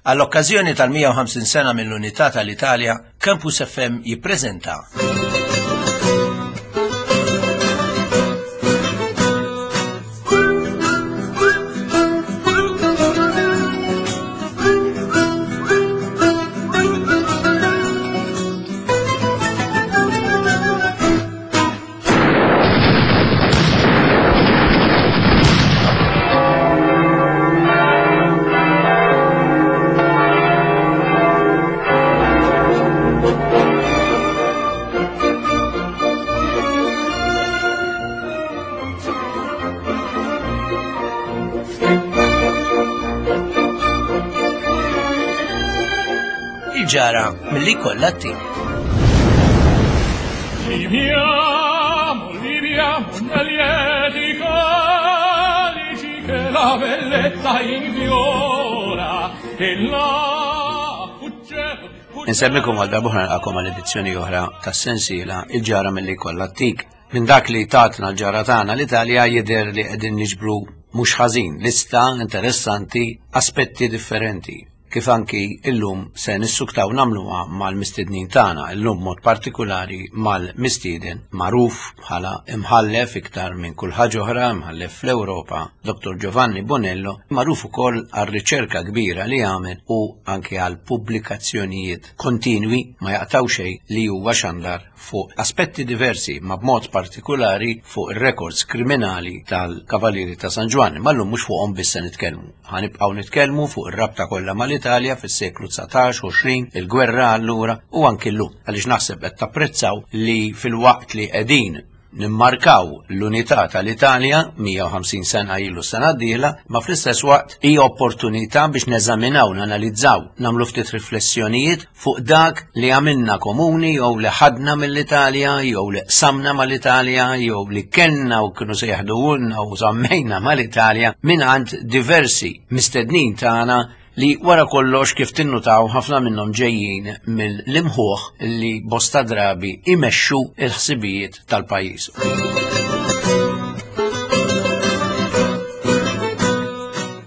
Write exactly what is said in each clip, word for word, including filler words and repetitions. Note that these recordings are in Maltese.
Għall-okkażjoni tal-mija u ħamsin sena mill-Unità tal-Italja, Campus F M jippreżenta Il-ġara milli kollha t-tim. Viviamo, viviamo nel lieti calici che la bellezza infiora e la uccello, uccello. Insemmikom għal darba nilqakom għal edizzjoni oħra tas-sensiela Il-ġara milli kollha t-tik. Minn dak li tatna l-ġara tagħna l-Italja jidher li qegħdin niġbru mhux ħażin lista interessanti, aspetti differenti. Kif anki illum se nissuktaw nagħmluha mal-mistednin tagħna, illum mod partikolari mal-mistieden magħruf bħala imħallef iktar minn kull ħaġa oħra, imħallef fl-Ewropa, Doktor Giovanni Bonello, magħruf ukoll għar-riċerka kbira li għamel u anki għal pubblikazzjonijiet kontinwi ma jaqtaw xejn li huwa xandar fuq aspetti diversi, ma b'mod partikolari fuq ir-rekords kriminali tal-Kavalieri ta' San Ġwann. Ma llum mhux fuqhom biss se nitkellmu. Ħanibqgħu nitkellmu fuq ir-rabta kollha mal-Italja fis-seklu dsatax, għoxrin, il-gwerra allura u anki llum. Għaliex naħseb qed tapprezzaw li fil-waqt li qegħdin nimmarkaw l-unità tal-Italja mija u ħamsin sena ilu sena d-dieħla, ma fl-istess waqt hija opportunità biex neżaminaw, nanalizzaw, nagħmlu ftit riflessjonijiet fuq dak li għamilna komuni jew li ħadna mill-Italja jew li qsamna mal-Italja jew li kellna u kienu se jaħduhulna u żammejna mal-Italja mingħand diversi mistednin tagħna li wara kollox kif tinnutaw ħafna minnhom ġejjin mill-imħuħ li bosta drabi imexxu l-ħsibijiet tal-pajjiż.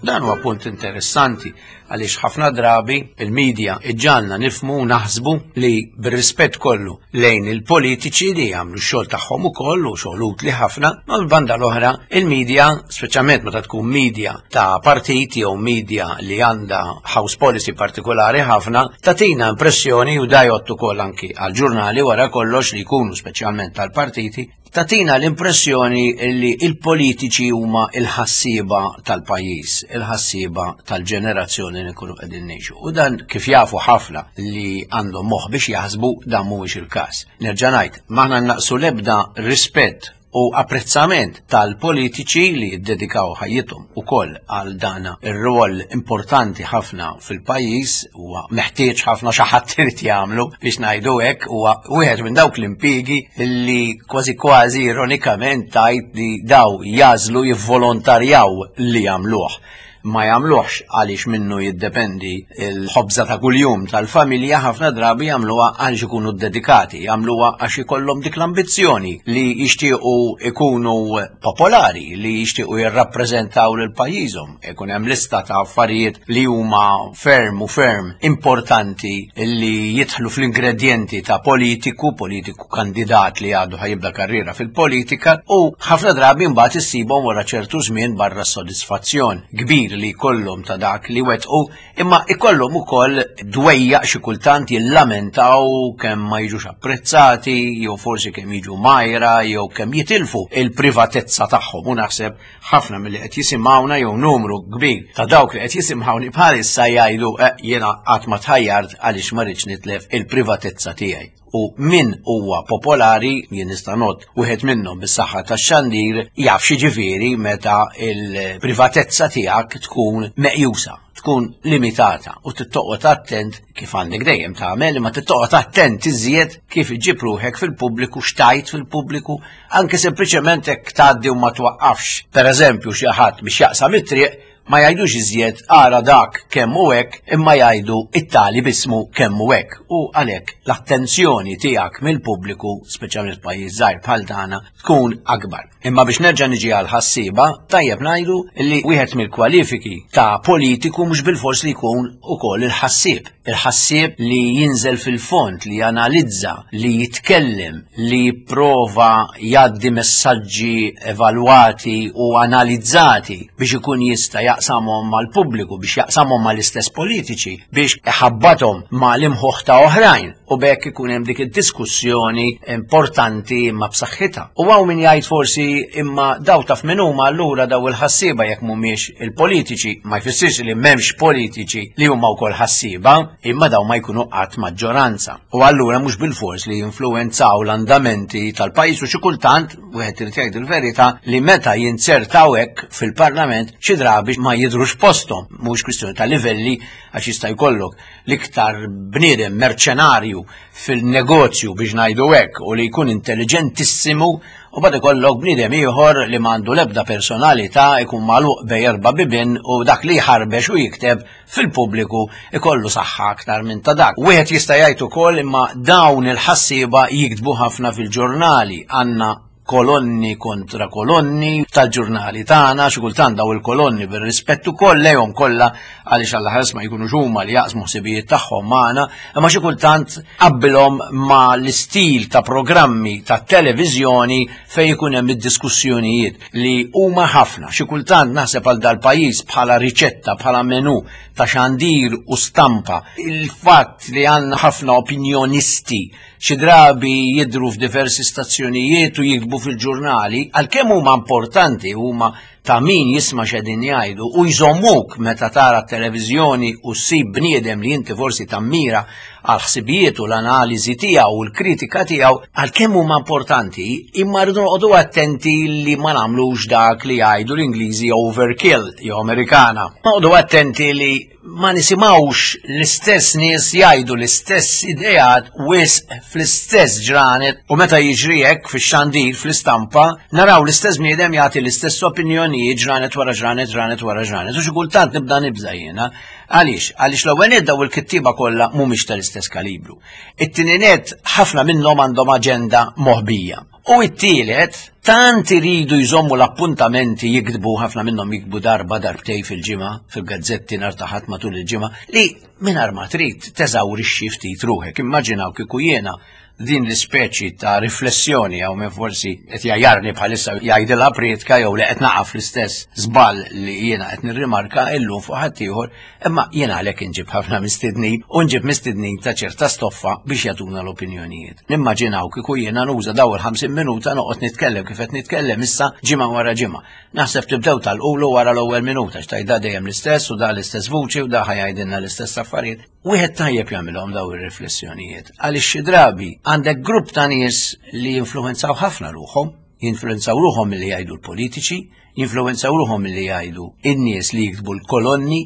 Dan huwa punt interessanti għaliex ħafna drabi il-medja iġġalna nifmu u naħsbu li bir-rispett kollu lejn il-politiċi li jagħmlu x-xogħol tagħhom ukoll u xogħol utli ħafna, ma l-banda l-oħra il-medja, speċjalment meta tkun media ta' partit jew media li għandha house policy partikolari ħafna, tagħtina impressjoni u da jgħod ukoll anki għal-ġurnali wara kollox li jkunu speċjalment tal-partiti, tatina l-impressjoni li il-politiċi huma il-ħassieba tal-pajjiż, il-ħassieba tal-ġenerazzjoni li nkunu qegħdin ngħixu. U dan kif jafu ħafna li għandhom moħħ biex jaħsbu dan mhuwiex il-każ. Nerġa' ngħid, m'aħna naqsu l-ebda rispett u apprezzament tal-politiċi li jiddedikaw ħajjithom ukoll għal dana ir-rwol importanti ħafna fil-pajjiż, huwa meħtieġ ħafna xi ħadd irid jagħmlu biex ngħidu hekk, huwa wieħed minn dawk l-impjiegi li kważi kważi ironikament tgħid li daw jażlu jivvolontarjaw li jagħmluh. Ma jagħmluhx għaliex minnu jiddependi l-ħobża ta' kuljum tal-familja, ħafna drabi jagħmluha għaliex ikunu ddedikati, jagħmluha għax ikollhom dik l-ambizzjoni li jixtiequ ikunu popolari, li jixtiequ jirrappreżentaw lil pajjiżhom. Ikun hemm lista ta' affarijiet li huma ferm u ferm importanti li jidħlu fl-ingredjenti ta' politiku, politiku kandidat li għadu ħajibda karriera fil-politika, u ħafna drabi mbagħad issibhom wara ċertu żmien barra s-sodisfazzjon kbir li jkollhom ta' dak li wettqu, imma ikollhom ukoll dwejjaq xi kultant jillamentaw kemm ma jiġux apprezzati, jew forsi kemm jiġu majra, jew kemm jitilfu il-privatezza tagħhom. U naħseb ħafna milli qed jisimgħuna jew numru kbir ta' dawk li qed jisimgħuni bħalissa jgħidu, eh, jiena qatt ma tħajjart għaliex ma rridx nitlef il-privatezza tiegħi. U min huwa popolari, jien nista' ngħod wieħed minnhom bis-saħħa tax-xandir, jaf xi ġifieri meta l-privatezza tiegħek tkun meqjusa, tkun limitata u tittoqgħod attent kif għandek dejjem tagħmel, imma tittoqgħod attent iżjed kif iġġib ruħek fil-pubbliku, xtajt fil-pubbliku, anke sempliċement hekk tgħaddi u ma twaqqafx. Pereżempju xi ħadd biex jaqsam it-triq Ma jgħidux iżjed ara dak kemm hu hekk, imma jgħidu it-tali bismu kemm hu hekk. U għalhekk l-attenzjoni tiegħek mill-pubbliku, speċjalment pajjiż żgħir bħal tagħna, tkun akbar. Imma biex nerġa' niġi għal ħassieba, tajjeb ngħidu li wieħed mill-kwalifiki ta' politiku mhux bilfors li jkun ukoll il-ħassieb. Il-ħassieb li jinżel fil-fond, li janalizza, li jitkellem, li jipprova jgħaddi messaġġi evalwati u analizzati biex ikun jista' jaqsamhom mal-pubbliku, biex jaqsamhom mal-istess politiċi, biex iħabbathom mal-imħuħ ta' oħrajn u bekk ikun hemm dik id-diskussjoni importanti imma b'saħħitha. U hawn min jgħid forsi imma daw taf min huma allura daw il-ħassieba jekk mhumiex il-politiċi, ma jfissirx li m'hemmx politiċi li huma wkoll ħassieba, imma daw ma jkunu qatt maġġoranza. U allura mhux bilfors li jinfluwenzaw l-andamenti tal-pajjiż u xi kultant wieħed irid jgħid il-verità li meta jinzertaw hekk fil-Parlament xi drabi ma jidhrux posthom, mhux kwistjoni ta' livelli għax jista' jkollok l-iktar bniedem merċenarju fil-negozju biex ngħidu hekk u li jkun intelligentissimu u bad ikollok bniedem ieħor li m'għandu l-ebda personalità ikun magħluq bej erba' bibien u dak li jħarbex u jikteb fil-pubbliku ikollu saħħa aktar minn ta' dak. Wieħed jista' jgħid ukoll imma dawn il-ħassieba jiktbu ħafna fil-ġurnali, għandna kolonni kontra kolonni tal-ġurnali tagħna, xi kultant daw il-kolonni bir-rispett ukoll lejhom kollha għaliex Alla ħares ma jkunux huma li jaqsmu ħsibijiet tagħhom magħna, imma xi kultant qabbilhom ma l-istil ta' programmi ta' televiżjoni fejn ikun hemm id-diskussjonijiet li huma ħafna. Xi kultant naħseb għal dal-pajjiż bħala riċetta, bħala menu ta' xandir u stampa. Il-fatt li għandna ħafna opinjonisti xi drabi jidhru f'diversi stazzjonijiet u jiktbu fil-ġurnali, għalkemm huma importanti, huma ta' min jisma' x'qegħdin jgħidu u jżommuk meta tara t-televiżjoni u ssib bniedem li inti forsi tammira għal ħsibijiet u l-analiżi tiegħu u l-kritika tiegħu, għalkemm huma importanti, imma rridu noqogħdu attenti li ma nagħmlux dak li jgħidu l-Ingliżi overkill jew Amerikana. Noqogħdu attenti li ma nisimgħux l-istess nies jgħidu l-istess ideat wisq fl-istess ġranet u meta jiġri hekk fix-xandir fl-istampa naraw l-istess bniedem jagħti l-istess opinjonijiet ġranet wara ġranet, ġranet wara ġranet. U xi kultant nibda nibża' jiena. Għaliex? Għaliex l-ewwel nett daw il-kittieba kollha mhumiex tal-istess kalibru. It-tieni nett ħafna minnhom għandhom aġenda moħbija. U it-tielet, tant iridu jżommu l-appuntamenti jiktbu, ħafna minnhom jiktbu darba darbtej fil-ġimgħa, fil-gazzetti nhar ta' Ħadd matul il-ġimgħa, li mingħajr ma trid teżawrixxi ftit ruħek. Immaġinaw kieku jiena din l-ispeċi ta' riflessjoni jew minn forsi qed jgħajarni bħalissa jgħidilha prietka jew li qed naqaf l-istess żball li jiena qed nirrimarka illum fuq ħaddieħor, imma jiena għalhekk inġib ħafna mistednin u nġib mistednin ta' ċerta stoffa biex jagħtuna l-opinjonijiet. Nimmaġinaw kieku jiena nuża daw il-ħamsin minuta noqgħod nitkellem kif qed nitkellem issa ġimgħa wara ġimgħa. Naħseb tibdew tal-qulu wara l-ewwel minuta x'tgħid da dejjem l-istess u da l-istess vuċi u da ħajajdilna l-istess affarijiet. Wieħed tajjeb jagħmilhom daw ir-riflessjonijiet għaliex xi drabi għandek grupp ta' nies li jinfluwenzaw ħafna ruħhom, jinfluwenzaw ruħhom milli jgħidu l-politiċi, jinfluwenzaw ruħhom milli jgħidu in-nies li jiktbu l-kolonni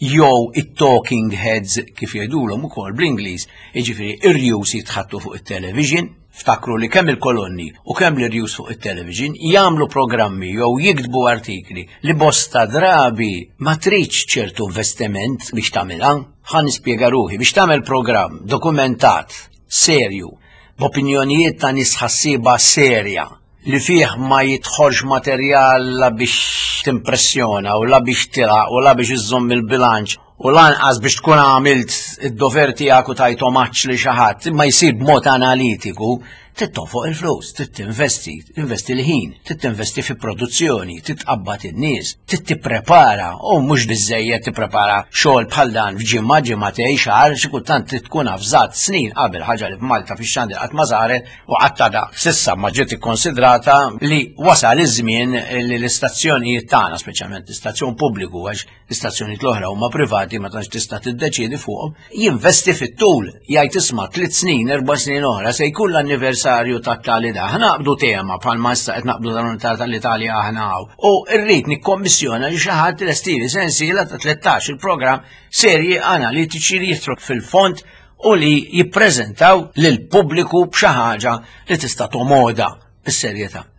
jew it-talking heads kif jgħidulhom ukoll bl-Ingliż, jiġifieri ir-rjus jitħattu fuq it-television. Ftakru li kemm il-kolonni u kemm l-irjus fuq it-television jagħmlu programmi jew jiktbu artikli li bosta drabi ma tridx ċertu investiment biex tagħmilha. Ħa nispjega ruħi, biex tagħmel programm dokumentat, serju, b'opinjonijiet ta' nies ħassieba serja li fih ma jidħolx materjal la biex timpressjona u la biex tilaq u la biex iżżomm il-bilanċ u lanqas biex tkun għamilt id-dover tiegħek u tajt omaġġ li xi ħadd, imma jsir b'mod analitiku, trid tonfoq il-flus, trid tinvesti, tinvesti l-ħin, trid tinvesti fi produzzjoni, trid tqabbad in-nies, trid tipprepara, u mhux biżejjed tipprepara xogħol bħal dan f'ġimgħa, ġimgħatej, xahar, xi kultant trid tkun avżat snin qabel, ħaġa li f'Malta fix-xandir qatt ma saret u qatt għadha s'issa ma ġiet ikkonsidrata li wasal iż-żmien li l-istazzjonijiet tagħna, speċjalment l-istazzjon pubbliku, għax l-istazzjonijiet l-oħra huma privati ma tantx tista' tiddeċiedi fuqhom, jinvesti fit-tul, jgħid isma' tliet snin, erba' snin oħra se jkun l-anniversarju tat-tali da. Aħna naqbdu tema bħalma issa qed naqbdu tal-Unità tal-Italja aħna hawn. U rrid nikkommissjona li xi ħadd lestili sensiela ta' tlettax il-programm serji analitiċi li jitru fil-fond u li jippreżentaw lil pubbliku b'xi ħaġa li tista' tomoda bis-serjetà.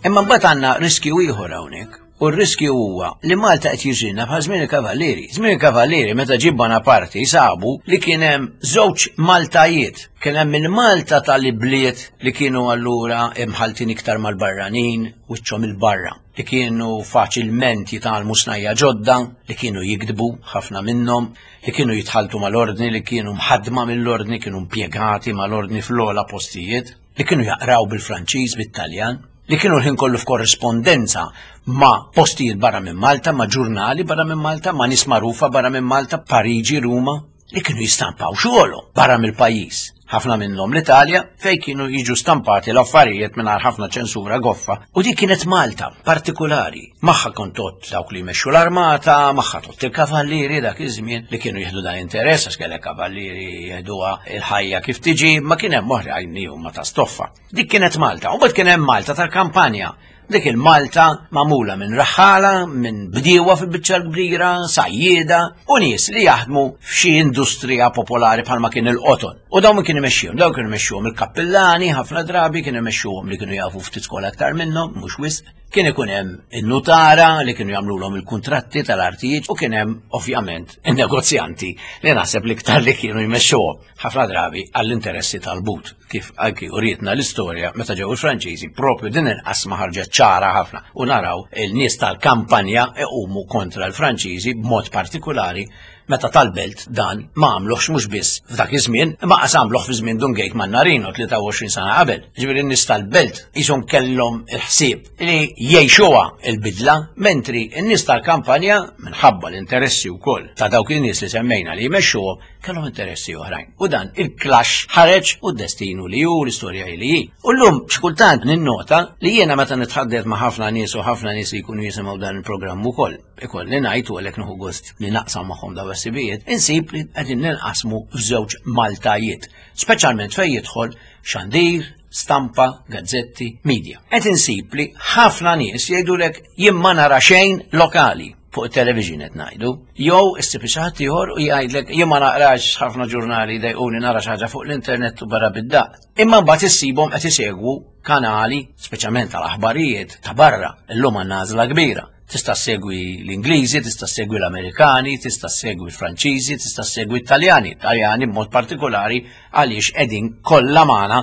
Imma mbagħad għandna riskju ieħor hawnhekk. U r-riskju huwa li Malta qed jiġrilna bħal żmien il-Kavallieri. Żmien il-Kavallieri meta ġie Bonaparte sabu li kien hemm żewġ Maltajiet. Kien hemm il-Malta tal-ibliet li kienu allura imħaltin iktar mal-barranin wiċċhom il-barra, li kienu faċilment jitgħallmu snajja ġodda, li kienu jikdbu ħafna minnhom, li kienu jitħaltu mal-ordni, li kienu mħaddma mill-ordni, kienu impjegati mal-ordni fl-ogħla postijiet, li kienu jaqraw bil-Franċiż, bit-Taljan, li kienu l-ħin kollu f'korrispondenza ma' postijiet barra minn Malta, ma' ġurnali barra minn Malta, ma' nies magħrufa barra minn Malta, Pariġi, Ruma, li kienu jistampaw xogħolhom barra mill-pajjiż. Ħafna minnhom l-Italja, fejn kienu jiġu stampati l-affarijiet mingħajr ħafna ċensura goffa. U dik kienet Malta partikulari. Magħha kont tot dawk li jmexxu l-armata, magħha tot il-kavallieri dak iż-żmien li kienu jieħdu dan interess, għax kellek kavallieri jieħduha il-ħajja kif tiġi, ma kien hemm oħrajn li huma ta' stoffa. Dik kienet Malta. U mbagħad kien hemm Malta tal-kampanja. Dik il-Malta magħmula minn raħħala, minn bdiewa fil-biċċa l-kbira, sajjieda u nies li jaħdmu f'xi industrija popolari bħalma kien il-qoton. U dawn min kien imexxihom, dawn kienu imexxuhom il-kappillani ħafna drabi, kienu imexxuhom li kienu jafu ftit skola aktar minnhom, mhux wisq. Kien ikun hemm in-nutara li kienu jagħmluhom il-kuntratti tal-artijiet u kien hemm ovvjament in-negozjanti li naħseb l-iktar li kienu jmexxuhom ħafna drabi għall-interessi tal-but. Kif anki urietna l-istorja meta ġew il-Franċiżi, propju din il-qasma ħarġet ċara ħafna u naraw il-nies tal-kampanja iqumu kontra l-Franċiżi b'mod partikolari meta tal-belt dan ma għamluħx mhux biss f'dak iż-żmien, imma qas għamluh fi żmien Dun Gejt Mannarino tlieta u għoxrin sena qabel. Ġifieri n-nies tal-belt qishom kellhom il-ħsieb li jgħixuha il-bidla, mentri n-nies tal-kampanja minħabba l-interessi wkoll ta' dawk in-nies li semmejna li jmexxuhom kellhom interessi oħrajn. U dan il-clash ħareġ u d-destinu li hu l-istorja li hi. U llum xi kultant ninnota li jiena meta nitħaddet ma' ħafna nies u ħafna nies li jkunu jisimgħu dan il-programm ukoll, ikolli ngħid u għalhekk nieħu gost li naqsam magħhom dawn is-sibijiet, insib li qegħdin ninqasmu f'żewġ Maltajiet, speċjalment fejn jidħol xandir, stampa, gazzetti, media. Qed insib li ħafna nies jgħidulek jien ma nara xejn lokali fuq it-television qed ngħidu, jew issib xi ħadd ieħor u jgħidlek jien ma naqrax ħafna ġurnali dejquni nara xi ħaġa fuq l-internet u barra bid-daq. Imma mbagħad issibhom qed isegwu kanali, speċjalment tal-aħbarijiet ta' barra, illum għandna għażla kbira. Tista' ssegwi l-Ingliżi, tista' ssegwi l-Amerikani, tista' ssegwi l-Franċiżi, tista' ssegwi l-Taljani. Taljani b'mod partikolari għaliex qegħdin kollha magħna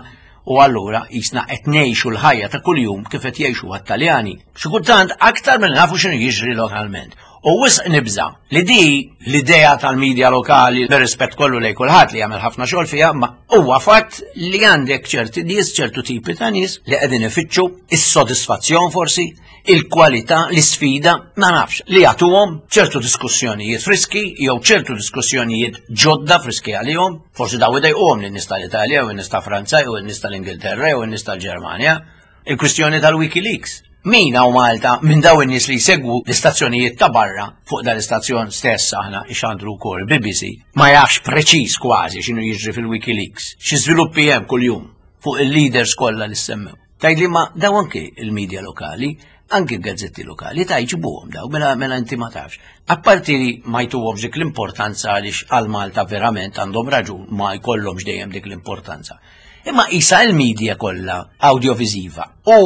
u allura jisna qed ngħixu l-ħajja ta' kuljum kif qed jgħixu għat-Taljani. Xi kultant aktar minn nafu x'inhu jiġri lokalment. U wisq nibża li di l-idea tal-medja lokali, bir-rispett kollu lejn kulħadd li jagħmel ħafna xogħol fiha, ma huwa fatt li għandek ċerti nies, ċertu tipi ta' nies li qegħdin ifittxu is-sodisfazzjon forsi, il-kwalità, l-isfida, ma nafx, li jagħtuhom ċertu diskussjonijiet friski jew ċertu diskussjonijiet ġodda friski għalihom, forsi daw idejquhom lin-nies tal-Italja jew in-nies ta' Franza jew in-nies tal-Ingilterra jew in-nies tal-Ġermanja. Il-kwistjoni tal-WikiLeaks. Min hawn Malta minn daw in-nies li jsegwu l-istazzjonijiet ta' barra fuq dan l-istazzjon stess aħna ixandru wkoll B B C ma jafx preċiż kważi x'inhu jiġri fil-WikiLeaks, xi żviluppi hemm kuljum fuq il-leaders kollha li semmew. Tgħidli ma daw anke il-medja lokali, anke l-gazzetti lokali ta' jġibuhom daw, mela, mela inti ma tafx. Apparti li ma jtuhomx dik l-importanza għaliex għal Malta verament għandhom raġun ma jkollhomx dejjem dik l-importanza. Imma isa l-medja kollha audiovisiva u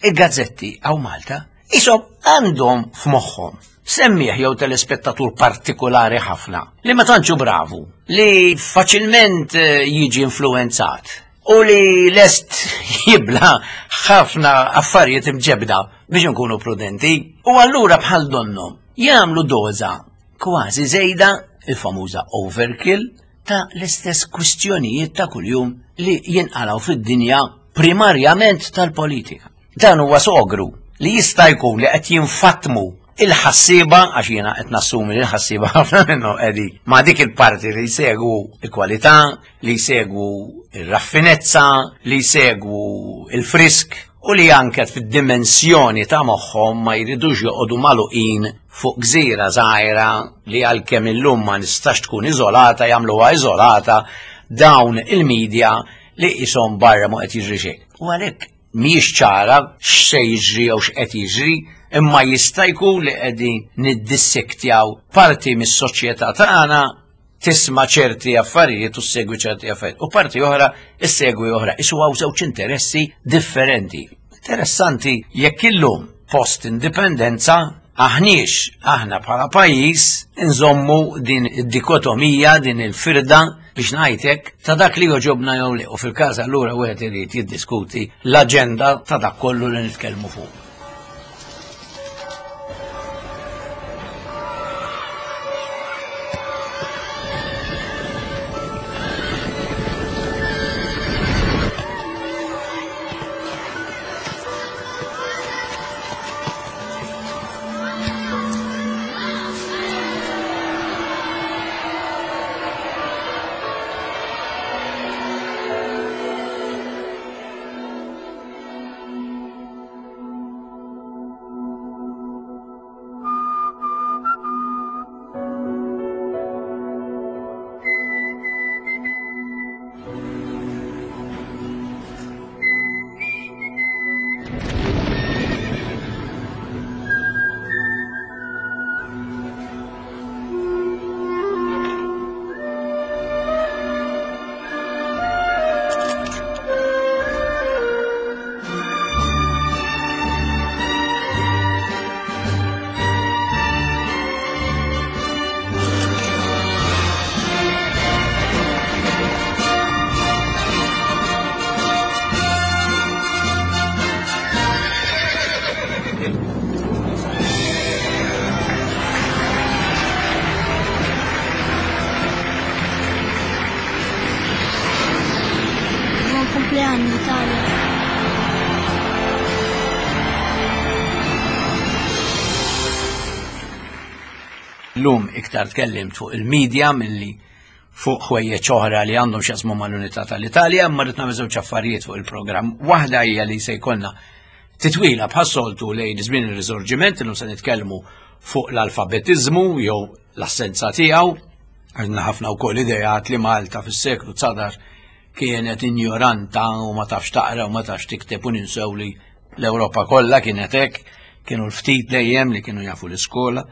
il-gazzetti għaw Malta isom għandhom f'moħħhom semmieħ jew telespettatur partikolari ħafna li ma tantxu bravu, li faċilment, eh, jiġi influenzat u li lest jibla ħafna affarijiet imġebda biex nkunu prudenti. U allura bħal donnom jagħmlu doża kważi żejda, il-famuża overkill, ta' l-istess kwistjonijiet ta' kuljum li jinqalgħu fid-dinja primarjament tal-politika. Dan huwa sogru li jista' jkun li qed jinfatmu il-ħassieba, għax jiena qed nassumi li l-ħassieba ħafna minnhom qegħdin ma' dik il-parti li jsegwu il-kwalità, li jsegwu ir-raffinezza, li jsegwu il-frisk u li anke fid-dimensjoni ta' moħħhom ma jridux joqogħdu magħluqin fuq gżira żgħira li għalkemm illum ma nistax tkun iżolata, jagħmluha iżolata dawn il-medja li qishom barra ma qed jiġri xejn. U għalhekk mhijiex ċara x'se jiġri jew x'qed jiġri, imma jista' jkun li qegħdin niddissektjaw parti mis-soċjetà tagħna tisma' ċerti affarijiet u ssegwi ċerti affarijiet, u parti oħra issegwi oħra. Isu hawn żewġ interessi differenti. Interessanti jekk illum post-indipendenza aħniex aħna bħala pajjiż nżommu din id-dikotomija, din il-firda biex ngħidlek ta' dak li joġobna jew le. U fil-każ allura wieħed irid jiddiskuti l-aġenda ta' dak kollu li nitkellmu fuq. Compleanno Italia. Llum iktar tkellimt fuq il-medja milli fuq ħwejjeġ oħra li għandhom x'jaqsmu mal-unità tal-Italja, imma rrid nagħmel żewġ affarijiet fuq il-programm. Waħda hija li se jkollna titwila bħas-soltu lejn żmien ir-Risorġiment, illum se nitkellmu fuq l-alfabetiżmu jew l-assenza tiegħu. Għandna ħafna wkoll ideat li Malta fis-seklu dsatax kienet injoranta u ma tafx taqra u ma tafx tikteb, u ninsew li l-Ewropa kollha kienet hekk, kienu l-ftit dejjem li kienu jafu l-iskola.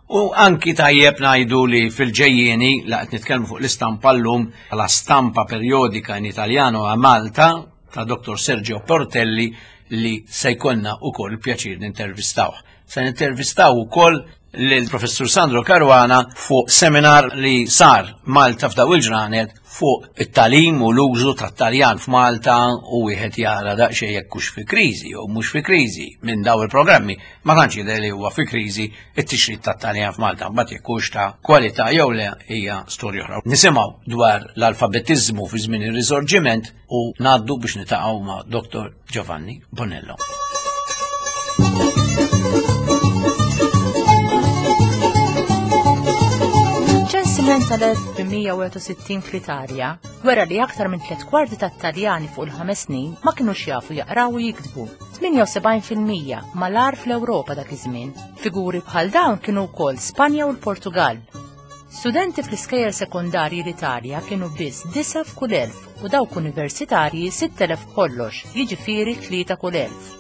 U anki tajjeb ngħidu li fil-ġejjieni la qed nitkellmu fuq l-istampa llum, la stampa periodika in Italiano a Malta ta' Dottor Sergio Portelli li se jkollna wkoll il-pjaċir nintervistawh. Se nintervistaw ukoll lill-Professur Sandro Caruana fuq seminar li sar Malta f'daw il-ġranet fuq it-talim u l-użu tat-Taljan f'Malta, u wieħed jara daqsxejn jekk hux fi kriżi jew mhux fi kriżi minn daw il-programmi. Ma tantx jidher li huwa fi kriżi it-tixrid tat-Taljan f'Malta, mbagħad jekk hux ta' kwalità jew le hija storja oħra. Nisimgħu dwar l-alfabetiżmu fi żmien ir-Risorġiment u ngħaddu biex nitaqgħu ma' Dottor Giovanni Bonello. Ċensiment tal-elf tmien mija u sittin fl-Italja wera li aktar minn tliet kwarti tat-Taljani fuq il-ħames snin ma kinux jafu jaqraw u jiktbu. tmienja u sebgħin fil-mija mal-agħar fl-Ewropa dak iż-żmien. Figuri bħal dawn kienu wkoll Spanja u l-Portugal. Studenti fl-iskejjel sekondarji l-Italja kienu biss disa' f'kull elf u dawk universitarji sitt elef kollox, jiġifieri tlieta kull elf.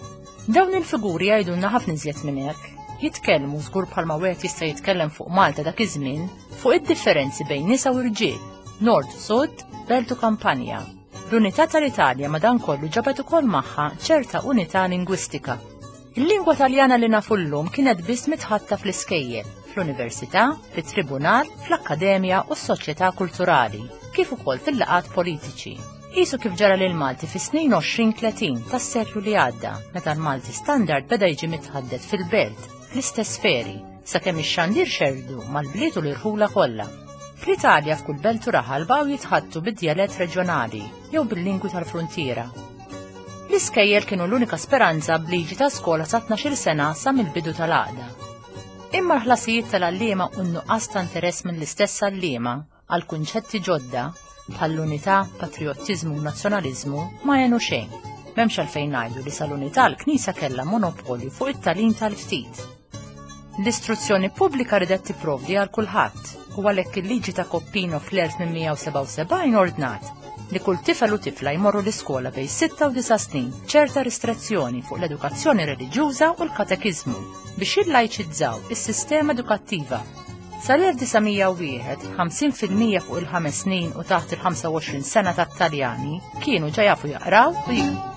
Dawn il-figuri jgħidulna ħafna iżjed minn hekk. Jitkellmu żgur bħalma wieħed jista' jitkellem fuq Malta dak iż-żmien fuq id-differenzi bejn nisa u rġiel, nord sud, belt u kampanja. L-unità tal-Italja madankollu ġabet ukoll magħha ċerta unità lingwistika. Il-lingwa Taljana li nafu llum kienet biss mitħatta fl-iskejjel, fl-università, fit-tribunal, fl-akkademja u s-soċjetà kulturali, kif ukoll fil-laqgħat politiċi. Qisu kif ġara lil Malti fis-snin għoxrin tletin tas-seklu li għadda, meta l-Malti standard beda jiġi mitħaddet fil-belt, fl-istess sferi, sakemm ix-xandir xerdu mal-bliet u l-irħula kollha. Fl-Italja f'kull belt u raħal baqgħu jitħattu bid-djalett reġjonali jew bil-lingwi tal-fruntiera. L-iskejjel kienu l-unika speranza b'liġi ta' skola sa tnax-il sena sa mill-bidu tal-għaqda. Imma l-ħlasijiet tal-għalliema u n-nuqqas ta' interess mill-istess għalliema għal kunċetti ġodda bħall-unità, patriottiżmu u nazzjonaliżmu ma għenu xejn. M'hemmx għalfejn ngħidu li sal-unità l-Knisja kellha monopolju fuq it-tagħlim tal-ftit. L-istruzzjoni pubblika ridet tipprovdi għal kulħadd u għalhekk il-liġi ta' Coppino fl-elf tmien mija u sebgħa u sebgħin ordnat li kull tifel u tifla jmorru l-iskola bejn sitta u disa' snin ċerta ristrezzjoni fuq l-edukazzjoni reliġjuża u l-katekiżmu biex jillajċizzaw is-sistema edukattiva. Sal-elf disa' mija u wieħed, ħamsin fil-mija fuq il-ħames snin u taħt il-ħamsa u għoxrin sena tat-Taljani kienu ġa jafu jaqraw u jiktbu.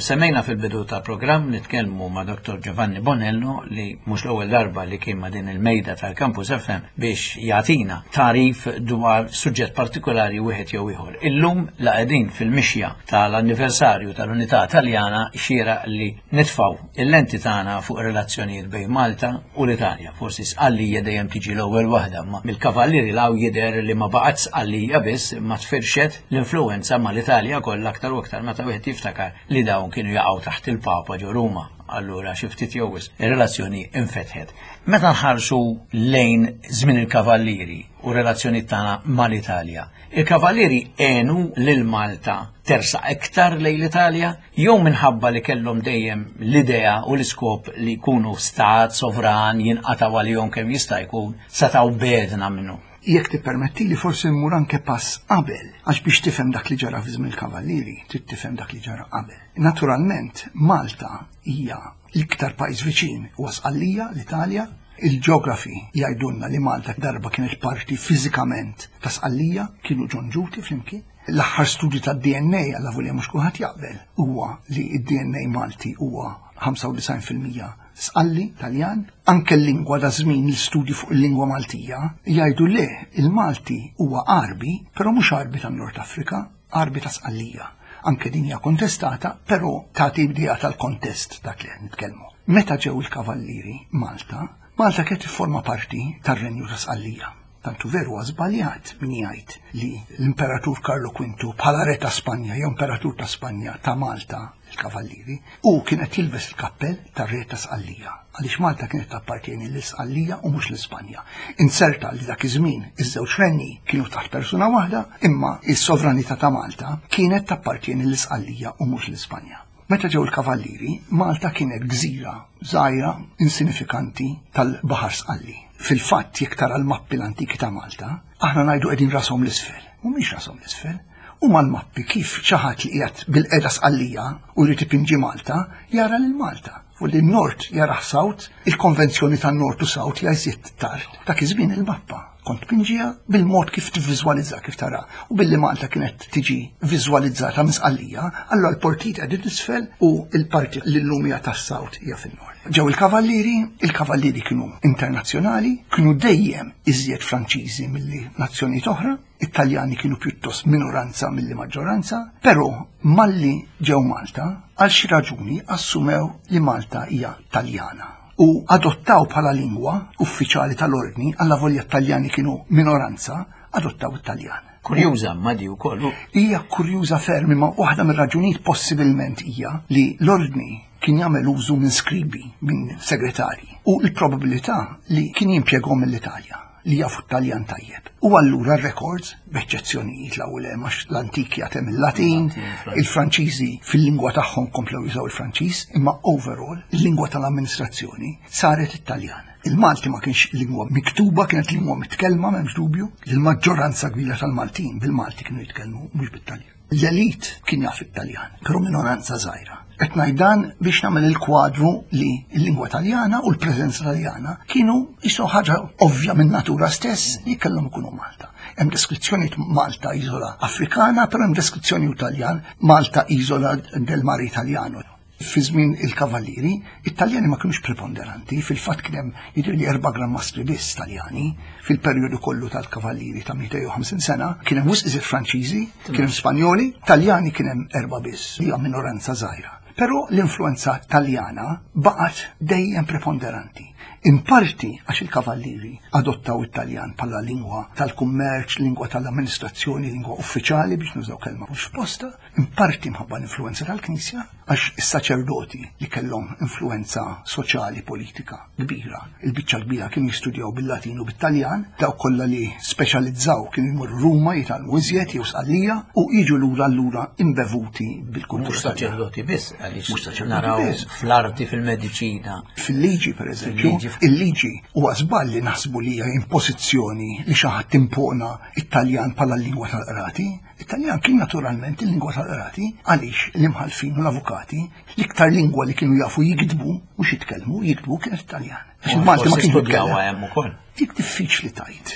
Kif semmejna fil-bidu ta' programm nitkellmu ma' Dottor Giovanni Bonello li mhux l-ewwel darba li kien ma' din il-mejda tal-Campus F M biex jagħtina tagħrif dwar suġġett partikolari wieħed jew ieħor. Illum la qegħdin fil-mixja tal-anniversarju tal-Unità Taljana, xieraq li nitfgħu il-lenti tagħna fuq relazzjonijiet bejn Malta u l-Italja. Forsi Sqallija dejjem tiġi l-ewwel waħda, ma mill-Kavallieri 'l hawn jidher li ma baqgħet Sqallija biss, ma tfirxet l-influenza mal-Italja kollha, aktar u aktar meta wieħed jiftakar li dawn kienu jaqgħu taħt il-Papa ġo Ruma. Allura xi ftit jew wisq ir-relazzjoni infetħet. Meta nħarsu lejn żmien il-Kavallieri u relazzjoni tagħna mal-Italja, il-Kavallieri għenu lil Malta tersaq iktar lejn l-Italja jew minħabba li kellhom dejjem l-idea u l-iskop li jkunu stat sovran, jinqataw għalihom kemm jista' jkun, setgħu bedna minnu? Jekk tippermetti li forsi mmur anke pass qabel, għax biex tifhem dak li ġara fi żmien il-Kavallieri, trid tifhem dak li ġara qabel. Naturalment, Malta hija l-iktar pajjiż viċin huwa Sqallija, l-Italja. Il-ġeografi jgħidulna li Malta darba kienet parti fiżikament ta' Sqallija, kienu ġonġuti flimkien. L-aħħar studju tad-D N A, għalavolja mhux kulħadd jaqbel, huwa li d-D N A Malti huwa ħamsa u disgħin fil-mija Sqalli, Taljan. Anke l-lingwa, da żmien l-istudji fuq il-lingwa Maltija jgħidu le, il-Malti huwa Arbi, però mhux Arbi tan-Nord Afrika, Arbi ta' Sqallija. Anke din hija kontestata, però tagħti idea tal-kontest dak li qed nitkellmu. Meta ġew il-Kavallieri Malta, Malta kienet tifforma parti tar-Renju ta' Sqallija. Tantu veru żbaljat min jgħid li l-Imperatur Karlo Quintu bħala re ta' Spanja jew Imperatur ta' Spanja ta' Malta il-Kavallieri u kienet jilbes il-kappell tar-re ta' Sqallija, għaliex Malta kienet tappartieni l-Sqallija u mhux l-Ispanja. Inserta li dak iż-żmien iż-żewġ renni kienu taħt persuna waħda, imma is-sovranità ta' Malta kienet tappartieni l-Isqallija u mhux l-Ispanja. Meta ġew il-Kavallieri, Malta kienet gżira żgħira insinifikanti tal-Baħar Sqalli. Fil-fatt, jekk tara l-mappi l-antiki ta' Malta, aħna ngħidu qegħdin rashom l-isfel. Mhumiex rashom l-isfel. U mal-mappi kif xi ħadd li qiegħed bil-qeda Sqallija u jrid ipinġi Malta, jara lil Malta. U li n-Nord jara South, il-konvenzjoni tan-Nord u South jgħid tard. Dak iż-żmien il-mappa kont pinġija bil-mod kif tivviżwalizza, kif tara. U billi Malta kienet tiġi viżwalizzata minn Sqallija, allura l-portit qegħdin isfel u l-parti li llum hija tas-South hija fin-Nord. Ġew il-Kavallieri, il-Kavallieri kienu internazzjonali, kienu dejjem iżjed Franċiżi milli nazzjonijiet oħra, Italjani kienu pjuttost minoranza milli maġġoranza, però malli ġew Malta, għal xi raġuni assumew li Malta hija Taljana u adottaw bħala lingwa uffiċjali tal-ordni, għalavolja Taljani kienu minoranza, adottaw it-Taljan. Kurjuża ma di wkoll. Hija kurjuża ferm, imma waħda mir-raġunijiet possibilment hija li l-ordni kien jagħmel użu minn skribi, minn segretari, u l-probabilità li kien jimpjeghom mill-Italja li jafu Taljan tajjeb. U allura records, b'eċċezzjonijiet l-ewwel għax l-antiki għatem il-Latin, il-Franċiżi fil-lingwa tagħhom komplew jużaw il-Franċiż, imma overall il-lingwa tal-amministrazzjoni saret it-Taljan. Il-Malti ma kienx lingwa miktuba, kienet lingwa mitkellma, m'hemmx dubju. Il-maġġoranza kbira tal-Maltin bil-Malti kienu jitkellmu, mhux bit-Taljan. L-elit kien jaf it-Taljan, però minoranza żgħira. Qed ngħid dan biex nagħmel il-kwadru li l-lingwa Taljana u l-preżenza Taljana kienu jisu ħaġa ovvja minn natura stess li kellhom ikunu Malta. Hemm deskrizzjoni Malta isola Afrikana, però hemm deskrizzjoni Taljan Malta isola del mare Italiano. Fi żmien il-Kavallieri, it-Taljani ma kienux preponderanti, fil-fatt kien hemm jidher li erba' Gran Mastri biss Taljani fil-perjodu kollu tal-Kavallieri ta' mitejn u ħamsin sena, kien hemm wisq iżjed Franċiżi, kien hemm Spanjoli, Taljani kien hemm erba' biss, li hija minoranza żgħira. Però l-influenza Taljana baqgħet dejjem preponderanti. In parti għax il-Kavallieri adottaw it-Taljan bħala lingwa tal-kummerċ, lingwa tal-amministrazzjoni, lingwa uffiċjali, biex nużaw kelma mhux posta, in parti mħabba l-influenza tal-Knisja, għax is-saċerdoti li kellhom influenza soċjali politika kbira, il-biċċa kbira kienu jistudjaw bil-Latin u bit-Taljan, dawk kollha li speċjalizzaw kienu jmorru Ruma jitgħallmu iżjed jew Sqallija u jiġu lura lura imbevuti bil-kultura. Mhux saċerdoti biss, għaliex Mhux saċerdoti naraw biss. fl-arti, fil-mediċina. Fil-liġi, per eżempju, Fil-liġi, Il-liġi. Il-liġi huwa żball li naħsbu li hija impożizzjoni li xi ħadd impona it-Taljan bħala l-lingwa tal-qrati. It-Taljan kien naturalment il-lingwa tal-qrati għaliex l-imħallfin u l-avukati l-iktar lingwa li kienu jafu jiktbu, mhux jitkellmu, jiktbu kienet Italjan. Għax il-Malti ma kienx studjaw jitkellem. Hemm ukoll. Dik diffiċli tgħid.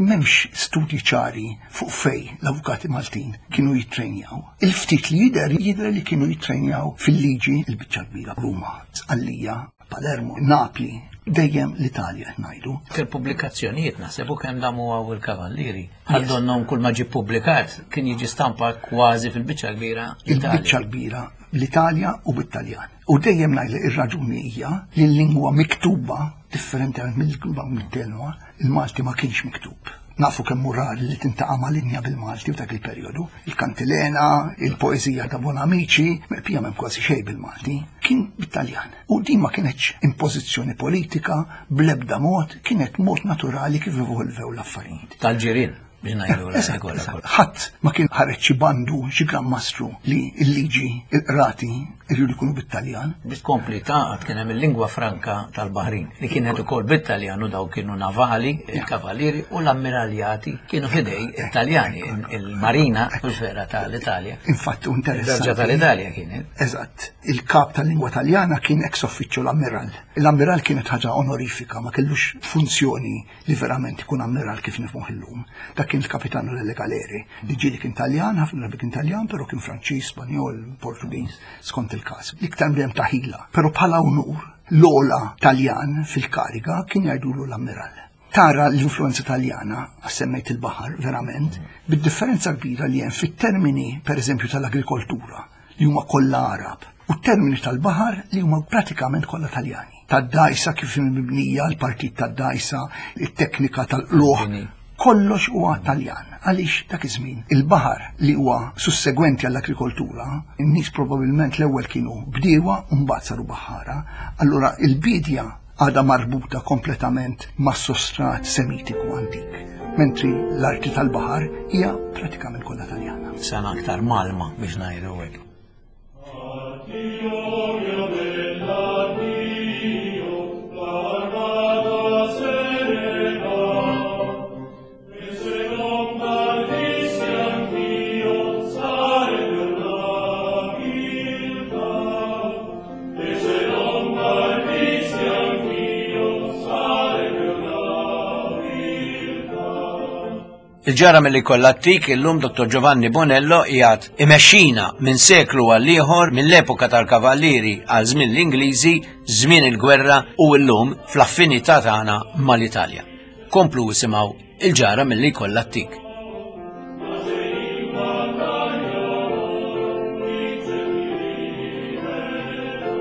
M'hemmx studji ċari fuq fej l-avukati Maltin kienu jittrejnjaw. Il-ftit li jidher jidher li kienu jittrejnjaw fil-liġi il-biċċa kbira Ruma, Sqallija, Palermo, Napli, dejjem l-Italja qed ngħidu. Il-pubblikazzjonijiet naħseb u kemm damu għaw il-Kavallieri. Għal donnhom kull ma ġie ppubblikat kien jiġi stampat kważi fil-biċċa kbira l-Italja. Il-biċċa kbira l-Italja u bit-Taljan. U dejjem ngħid ir-raġuni hija li l-lingwa miktuba differenti mill-lingwa mitkellma, il-Malti ma kienx miktub. Nafu kemm hu rari li tiltaqa' ma' linja bil-Malti f'dak il-perjodu. Il-kantilena, il-poeżija ta' Bonamici, pija m'hemm kważi xejn bil-Malti, kien bit-Taljan. U din ma kienetx impożizzjoni politika bl-ebda mod, kienet mod naturali kif evolvew l-affarijiet. Tal-ġirien, biex ngħidu Eżatt, kollha eżatt. kollha. Ħadd ma kien ħareġ xi bandu, xi gran mastru li l-liġi, il-qrati irridu jkunu bit-Taljan. Biex tkompli taqgħod kien hemm il-lingwa franka tal-Baħrin li kienet ukoll bit-Taljan u daw kienu navali, il-kavallieri u l-ammiraljati kienu fidej Italjani, il-marina u l-sfera tal-Italja. Infatti, u interessanti. Il-Berġa tal-Italja kienet. Eżatt. Il-kap tal-lingwa Taljana kien ex officio l-ammiral. L-ammiral kienet ħaġa onorifika, ma kellux funzjoni li verament ikun ammiral kif nifhmuh illum. Dak kien il-kapitano delle galeri, li ġieli kien Taljan, ħafna drabi kien Taljan, però kien Franċiż, Spanjol, Portugiż, skont il-każ. L-iktar bdem ta' ħila. Però bħala unur, l-ogħla Taljan fil-kariga kien jgħidulu l-ammiral. Tara l-influenza Taljana, semmejt il-baħar, verament, bid-differenza kbira li hemm fit-termini, per eżempju, tal-agrikoltura, li huma kollha Arab, u t-termini tal-baħar li huma pratikament kollha Taljani. Tad-dajsa kif mibnija, l-partit tad-dajsa, it-teknika tal-qluħ, Bini. kollox huwa Taljan. Għaliex dak iż-żmien il-baħar li huwa sussegwenti għall-agrikoltura, in-nies probabbilment l-ewwel kienu bdiewa u mbagħad saru baħħara, allura il-bidja għadha marbuta kompletament mas-sostrat semitiku antik, mentri l-arti tal-baħar hija pratikament kollha Taljana. Sena aktar malma biex ngħidu hekk. Addio, mio bell'addio, l'armata se ne va. E se non partissi anch'io, sarebbe una viltà. E se non partissi anch'io, sarebbe una viltà. Il-ġara mill-li kollha ttik illum Dottor Giovanni Bonello qiegħed imexxina minn seklu għal ieħor, mill-epoka tal-Kavallieri għal żmien l-Ingliżi, żmien il-gwerra u llum fl-affinità tagħna mal-Italja. Komplu isimgħu il-ġara mill-li kollha ttik. Ma se in battaglia vince mi libero.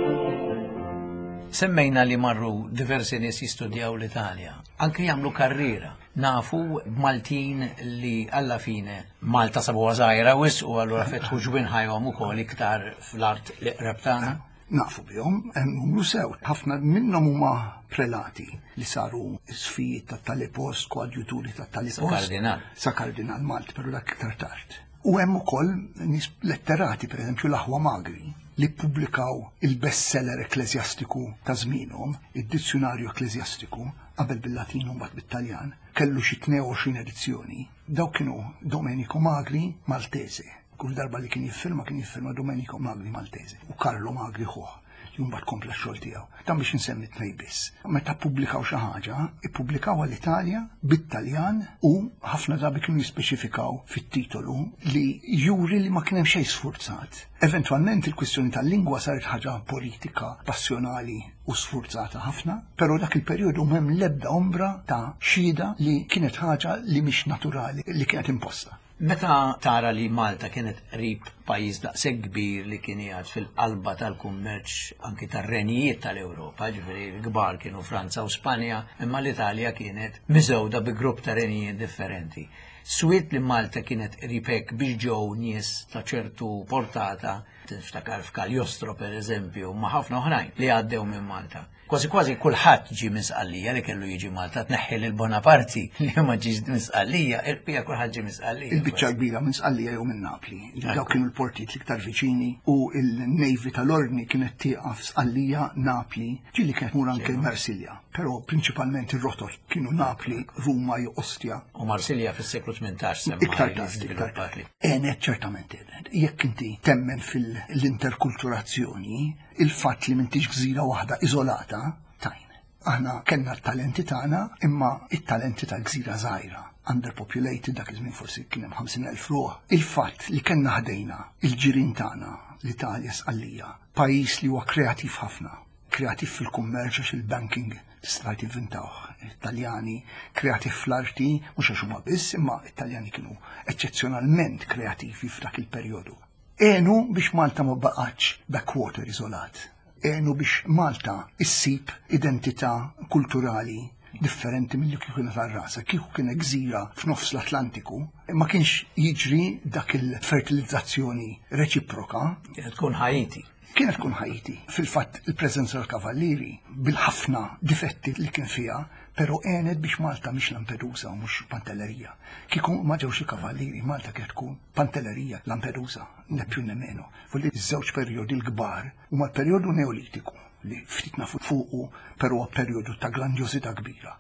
Semmejna li marru diversi nies jistudjaw l-Italja, anke jagħmlu karriera. Nafu Maltin li alla fine Malta sabuha żgħira wisq u allura fetħu ġwinħajhom ukoll iktar fl-art li qreb tagħna. Nafu bihom, hemm numru sew. Ħafna minnhom huma prelati li saru isfijiet ta' tali post, koadjuturi ta' tali Sa post. kardinal. Sa kardinal Malti, però dak iktar tard. U hemm ukoll nies letterati, per eżempju l-Aħwa Magri, li ppubblikaw il-bestseller ekklesjastiku ta' żmienhom, id-dizzjonarju ekklesjastiku, qabel bil-Latin u mbagħad bit-Taljan, kellu xi tnejn u għoxrin edizzjoni. Daw kienu Domenico Magri Maltese. Kull darba li kien jiffirma kien jiffirma Domenico Magri Maltese u Carlo Magri ħuh li mbagħad kompla x-xogħol tiegħu. Dan biex insemmi tnej biss. Meta ppubblikaw xi ħaġa, ippubblikaw għall-Italja bit-Taljan u ħafna drabi kienu jispeċifikaw fit-titolu li juri li ma kien hemm xejn sfurzat. Eventwalment il-kwistjoni tal-lingwa saret ħaġa politika, passjonali u sfurzata ħafna, però dak il-perjodu m'hemm l-ebda ombra ta' xhieda li kienet ħaġa li mhix naturali, li kienet imposta. Meta tara li Malta kienet qrib pajjiż daqshekk kbir li kien qiegħed fil-qalba tal-kummerċ anki tar-renijiet tal-Ewropa, ġifieri l-kbar kienu Franza u Spanja, imma l-Italja kienet miżewda bi grupp ta' renijiet differenti. Swiet li Malta kienet qrib hekk biex ġew nies ta' ċertu portata, tiftakar f'Cagliostro per eżempju, ma' ħafna oħrajn li għaddew minn Malta. Kważi kważi kulħadd ġie minn Sqallija li kellu jiġi Malta, tneħħi lil Bonaparte li ma ġiex minn Sqallija, il-bqija kulħadd ġie minn Sqallija. Il-biċċa kbira minn Sqallija jew minn Napli. Dawk kienu l-portijiet l-iktar viċini u il-Navy tal-Ordni kienet tieqaf Sqallija, Napli, ġieli kienet tmur anke Marsilja. Però prinċipalment ir-rotot kienu Napli, Ruma jew Ostia. U Marsilja fis-seklu tmintax semma Iktar tard, iktar tard. Għenet, ċertament għenet. Jekk inti temmen fil-interkulturazzjoni, il-fatt li m'intix gżira waħda iżolata, tajn. Aħna kellna t-talenti tagħna, imma it-talenti tal-gżira żgħira, underpopulated, dak iż-żmien forsi kien hemm ħamsin elf ruħ. Il-fatt li kellna ħdejna il-ġirien tagħna, l-Italja, Sqallija, pajjiż li huwa kreattiv ħafna, kreattiv fil-kummerċ għax il-banking tista' inventawh Italjani, kreattiv fl-arti, mhux għax huma biss, imma Italjani kienu eċċezzjonalment kreattivi f'dak il-perjodu. Għenu biex Malta ma baqgħetx backwater iżolat. Għenu biex Malta issib identità kulturali differenti mill-li kieku kienet għal rasha. Kieku kienet gżira f'nofs l-Atlantiku, ma kienx jiġri dak il-fertilizzazzjoni reċiproka. Kienet tkun Haiti. Kienet tkun Haiti. Fil-fatt, il-preżenza tal-Kavallieri, bil-ħafna difetti li kien fiha, pero għenet biex Malta mhix Lampedusa u mhux Pantellerija. Kieku ma ġewx il-Kavallieri, Malta kienet tkun Pantellerija, Lampedusa, ne più ne meno. Fulli iż-żewġ perjodi l-kbar huma l-perjodu Neolitiku li ftit nafu fuqu, però huwa perjodu ta' grandjożità kbira.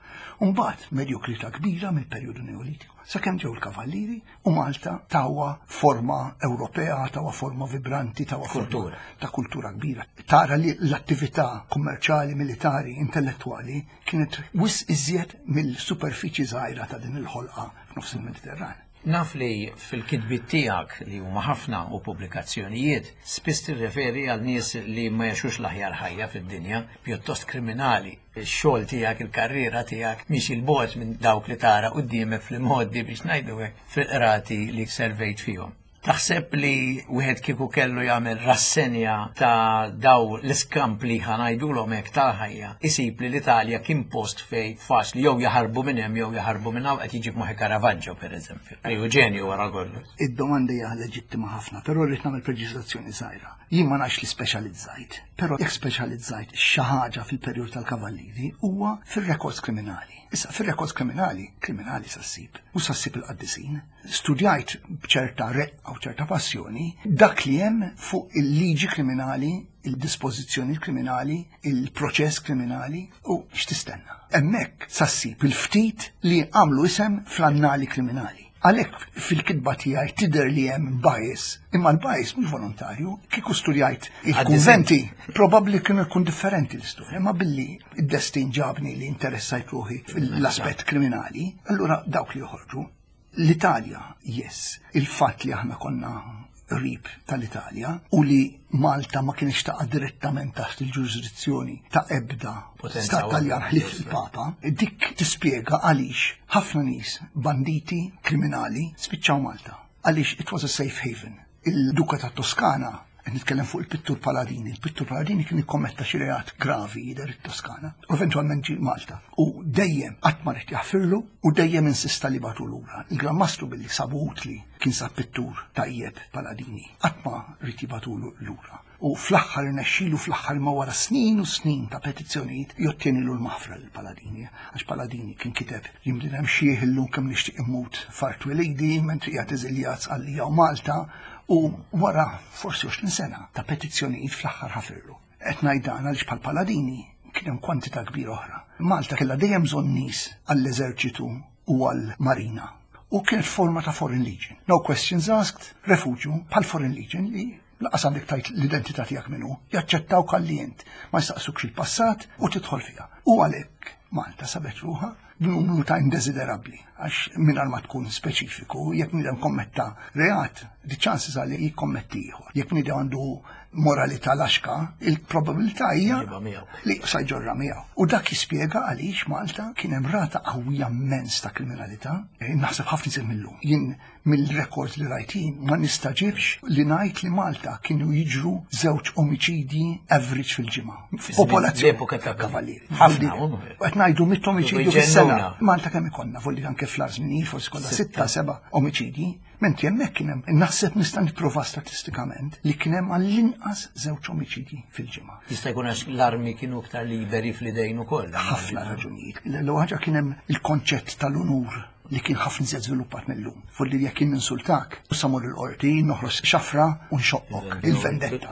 Mbagħad medjokrità kbira mill-perjodu Neolitiku. Sakemm ġew il-Kavallieri u Malta tawha forma Ewropea, tawha forma vibranti, tawha forma Kultura. ta' kultura kbira. Tara li l-attività kummerċali, militari, intellettuali kienet wisq iżjed mill-superfiċi żgħira ta' din il-ħolqa f'nofs il-Mediterran. Naf li fil-kitbiet tiegħek, li huma ħafna, u pubblikazzjonijiet, spiss tirreferi għal nies li ma jgħixux l-aħjar ħajja fid-dinja, pjuttost kriminali. Ix-xogħol tiegħek, il-karriera tiegħek mhix 'il bogħod minn dawk li tara quddiemek fl-imgħoddi, biex ngħidu hekk, fil-qrati li servejt fihom. Taħseb li wieħed kieku kellu jagħmel rassenja ta' daw l-iskampli, ħa ngħidulhom hekk, tal-ħajja, isib li l-Italja kien post fej faċli jew jaħarbu minn hemm jew jaħarbu minn hawn? Qed jiġi f'moħħi Caravaggio, pereżempju. Ejju, ġenju wara kollox. Id-domanda hija leġittima ħafna, però rrid nagħmel preċiżazzjoni żgħira. Jien ma nafx li speċjalizzajt, però jekk speċjalizzajt xi ħaġa fil-perjodu tal-Kavallieri huwa fir-rekords kriminali. Issa, fir-rekords kriminali, kriminali sa ssib, u sa ssib il-qaddisin. Studjajt b'ċerta reqqa u ċerta passjoni dak li hemm fuq il-liġi kriminali, il-dispożizzjoni kriminali, il-proċess kriminali u x'tistenna. Hemmhekk sa ssib il-ftit li għamlu isem fl-annali kriminali. Għalhekk fil-kitba tiegħi tidher li hemm bias, imma l-bias mhux volontarju. Kieku studjajt il-kunventi, probabbli kienu jkun differenti l-istorja, imma billi id-destin ġabni li interessajt ruħi fil-aspett kriminali, allura dawk li joħorġu. L-Italja, yes, il-fatt li aħna konna qrib tal-Italja u li Malta ma kienx taqa' direttament taħt il-ġurisdizzjoni ta' ebda Potenza stat Taljan waħda. ħlief il-Papa, dik tispjega għaliex ħafna nies, banditi, kriminali, spiċċaw Malta. Għaliex it was a safe haven. Il-Duka ta' Toskana, qed nitkellem fuq il-pittur Paladini, il-pittur Paladini kien ikkommetta xi reat gravi jidher it-Toskana, u eventwalment ġie Malta. U dejjem qatt ma ried jaħfirlu u dejjem insista li bagħtu lura. Il-Gran Mastru, billi sabu utli, kien sab pittur tajjeb Paladini, qatt ma ried jibagħtulu lura. U fl-aħħar irnexxielu, fl-aħħar ma wara snin u snin ta' petizzjonijiet, jottienilu l-maħfra lil Paladini, għax Paladini kien kiteb: "Jien bniedem xiħ illum, kemm nixtieq immut f'art twelidi", mentri qiegħed eżiljat Sqallija u Malta, u wara forsi għoxrin sena ta' petizzjonijiet fl-aħħar ħafirlu. Qed ngħid dan għaliex bħal Paladini kien hemm kwantità kbira oħra. Malta kellha dejjem bżonn nies għall-eżerċitu u għall-marina. U kienet forma ta' Foreign Legion. No questions asked, refugju bħal Foreign Legion li lanqas għandek tgħid l-identità tiegħek minnu, jaċċettaw kallient, ma jistaqsukx il-passat u tidħol fiha. U għalhekk Malta sabet ruħha b'numru ta' indesiderabbli, għax mingħajr ma tkun speċifiku, jekk bniedem kommetta reat, the chances are li jikkommetti ieħor. Jekk bniedem għandu moralità laxka, il-probabilità hija Ġiba miegħu. li sa jġorra miegħu. U dak jispjega għaliex Malta kien hemm rata qawwija immens ta' kriminalità. Eh, Naħseb ħafna iżjed millum. Jien mill-rekord li rajtin ma nistaġibx li ngħid li Malta kienu jiġru żewġ omiċidji average fil-ġimgħa. Popolazzjoni L-epoka ta' Kavallieri. Ħafna, Volli- u- Qed ngħidu mitt omiċidju fis-sena. Ġennuna. Malta kemm ikollna, volli anke fl-żminijiet forsi kollha sitta, seba' omiċidji, Mentri hemmhekk kien hemm, naħseb nista' nipprova statistikament li kien hemm għall-inqas żewġ omiċidji fil-ġimgħa. Jista' jkun għax l-armi kienu iktar liberi fl-idejn ukoll. Ħafna raġunijiet. L-ewwel ħaġa kien hemm il-konċett tal-unur li kien ħafna iżjed żviluppat mill-lum. Fulli jekk kien ninsultak, sa mmur il-qorti, noħroġ xafra u nxoqqok, il-vendetta.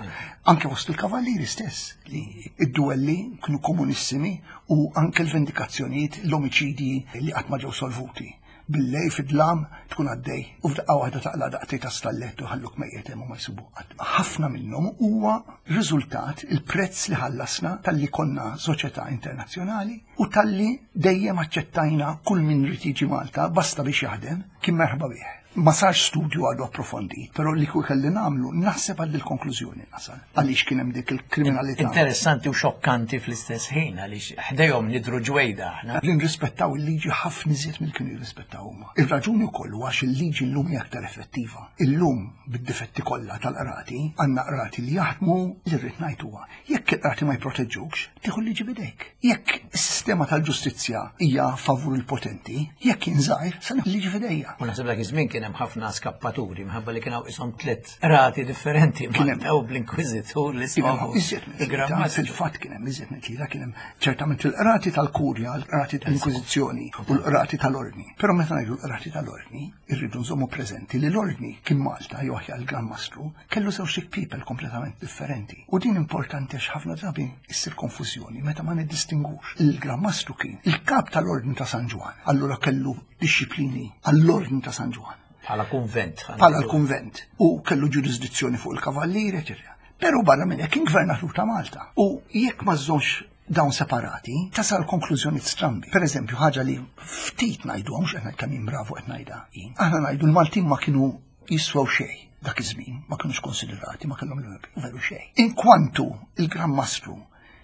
Anke fost il-kavallieri stess, li id-duelli kienu komunissimi u anke l-vendikazzjonijiet, l-omiċidji li qatt ma ġew solvuti. Billej fid-dlam tkun għaddej u f'daqqa waħda taqla daqtej ta' stallet u ħalluk mejjet hemm u ma jsibu qatt. Ħafna minnhom huwa riżultat il-prezz li ħallasna talli konna soċjetà internazzjonali u talli dejjem aċċettajna kull min irid jiġi Malta basta biex jaħdem kien merħba bih. Ma sarx studju għadu approfondit, però li kull kelli nagħmlu naħseb għal il-konklużjoni nasal. Għaliex kien hemm dik il-kriminalità. Interessanti u xokkanti fl-istess ħin għaliex ħdejhom nidru ġwejda aħna. Li nrispettaw il-liġi ħafna iżjed mill kienu jirrispettaw huma. Ir-raġuni wkoll huwa għax il-liġi llum hija aktar effettiva. Illum bid-difetti kollha tal-qrati għandna qrati li jaħdmu li rrid ngħid huwa jekk il-qrati ma jproteġġukx, tieħu l-liġi b'idejk. Jekk is-sistema tal-ġustizzja hija favur il-potenti, jekk jien żgħir, se nieħu l-liġi f'idejja. U naħseb dak iż-żmien kien hemm ħafna skappaturi minħabba li kien hawn ishom tliet qrati differenti Kien hemm. Malta u bl-Inkwiżitur li Kien hemm iżjed minn tlieta, fil-fatt kien hemm iżjed minn tlieta, kien hemm ċertament il-qrati tal-kurja, l-qrati tal-Inkwiżizzjoni u l-qrati tal-Ordni. Però meta ngħidu l-qrati tal-Ordni, irridu nżommu preżenti li l-Ordni kien Malta jew aħjar il-Gran Mastru kellu żewġ people kompletament differenti. U din importanti għax ħafna drabi issir konfużjoni meta ma niddistingux. Il-Gran Mastru kien il-kap tal-Ordni ta' San Ġwann, allura kellu dixxiplini għall-Ordni ta' San Ġwann Bħala kunvent. bħala l-kunvent u kellu ġurisdizzjoni fuq il-kavallieri, eċetera. Però barra minn hekk kien gvernatur ta' Malta. U jekk ma żżommx dawn separati, tasal konklużjoni strambi. Per eżempju, ħaġa li ftit ngħidu, mhux qed ngħid kemm jien bravu qed ngħidha jien. Aħna ngħidu l-Maltin ma kienu jiswew xejn dak iż-żmien, ma kienux konsiderati, ma kellhom veru xejn. Inkwantu il-Gran Mastru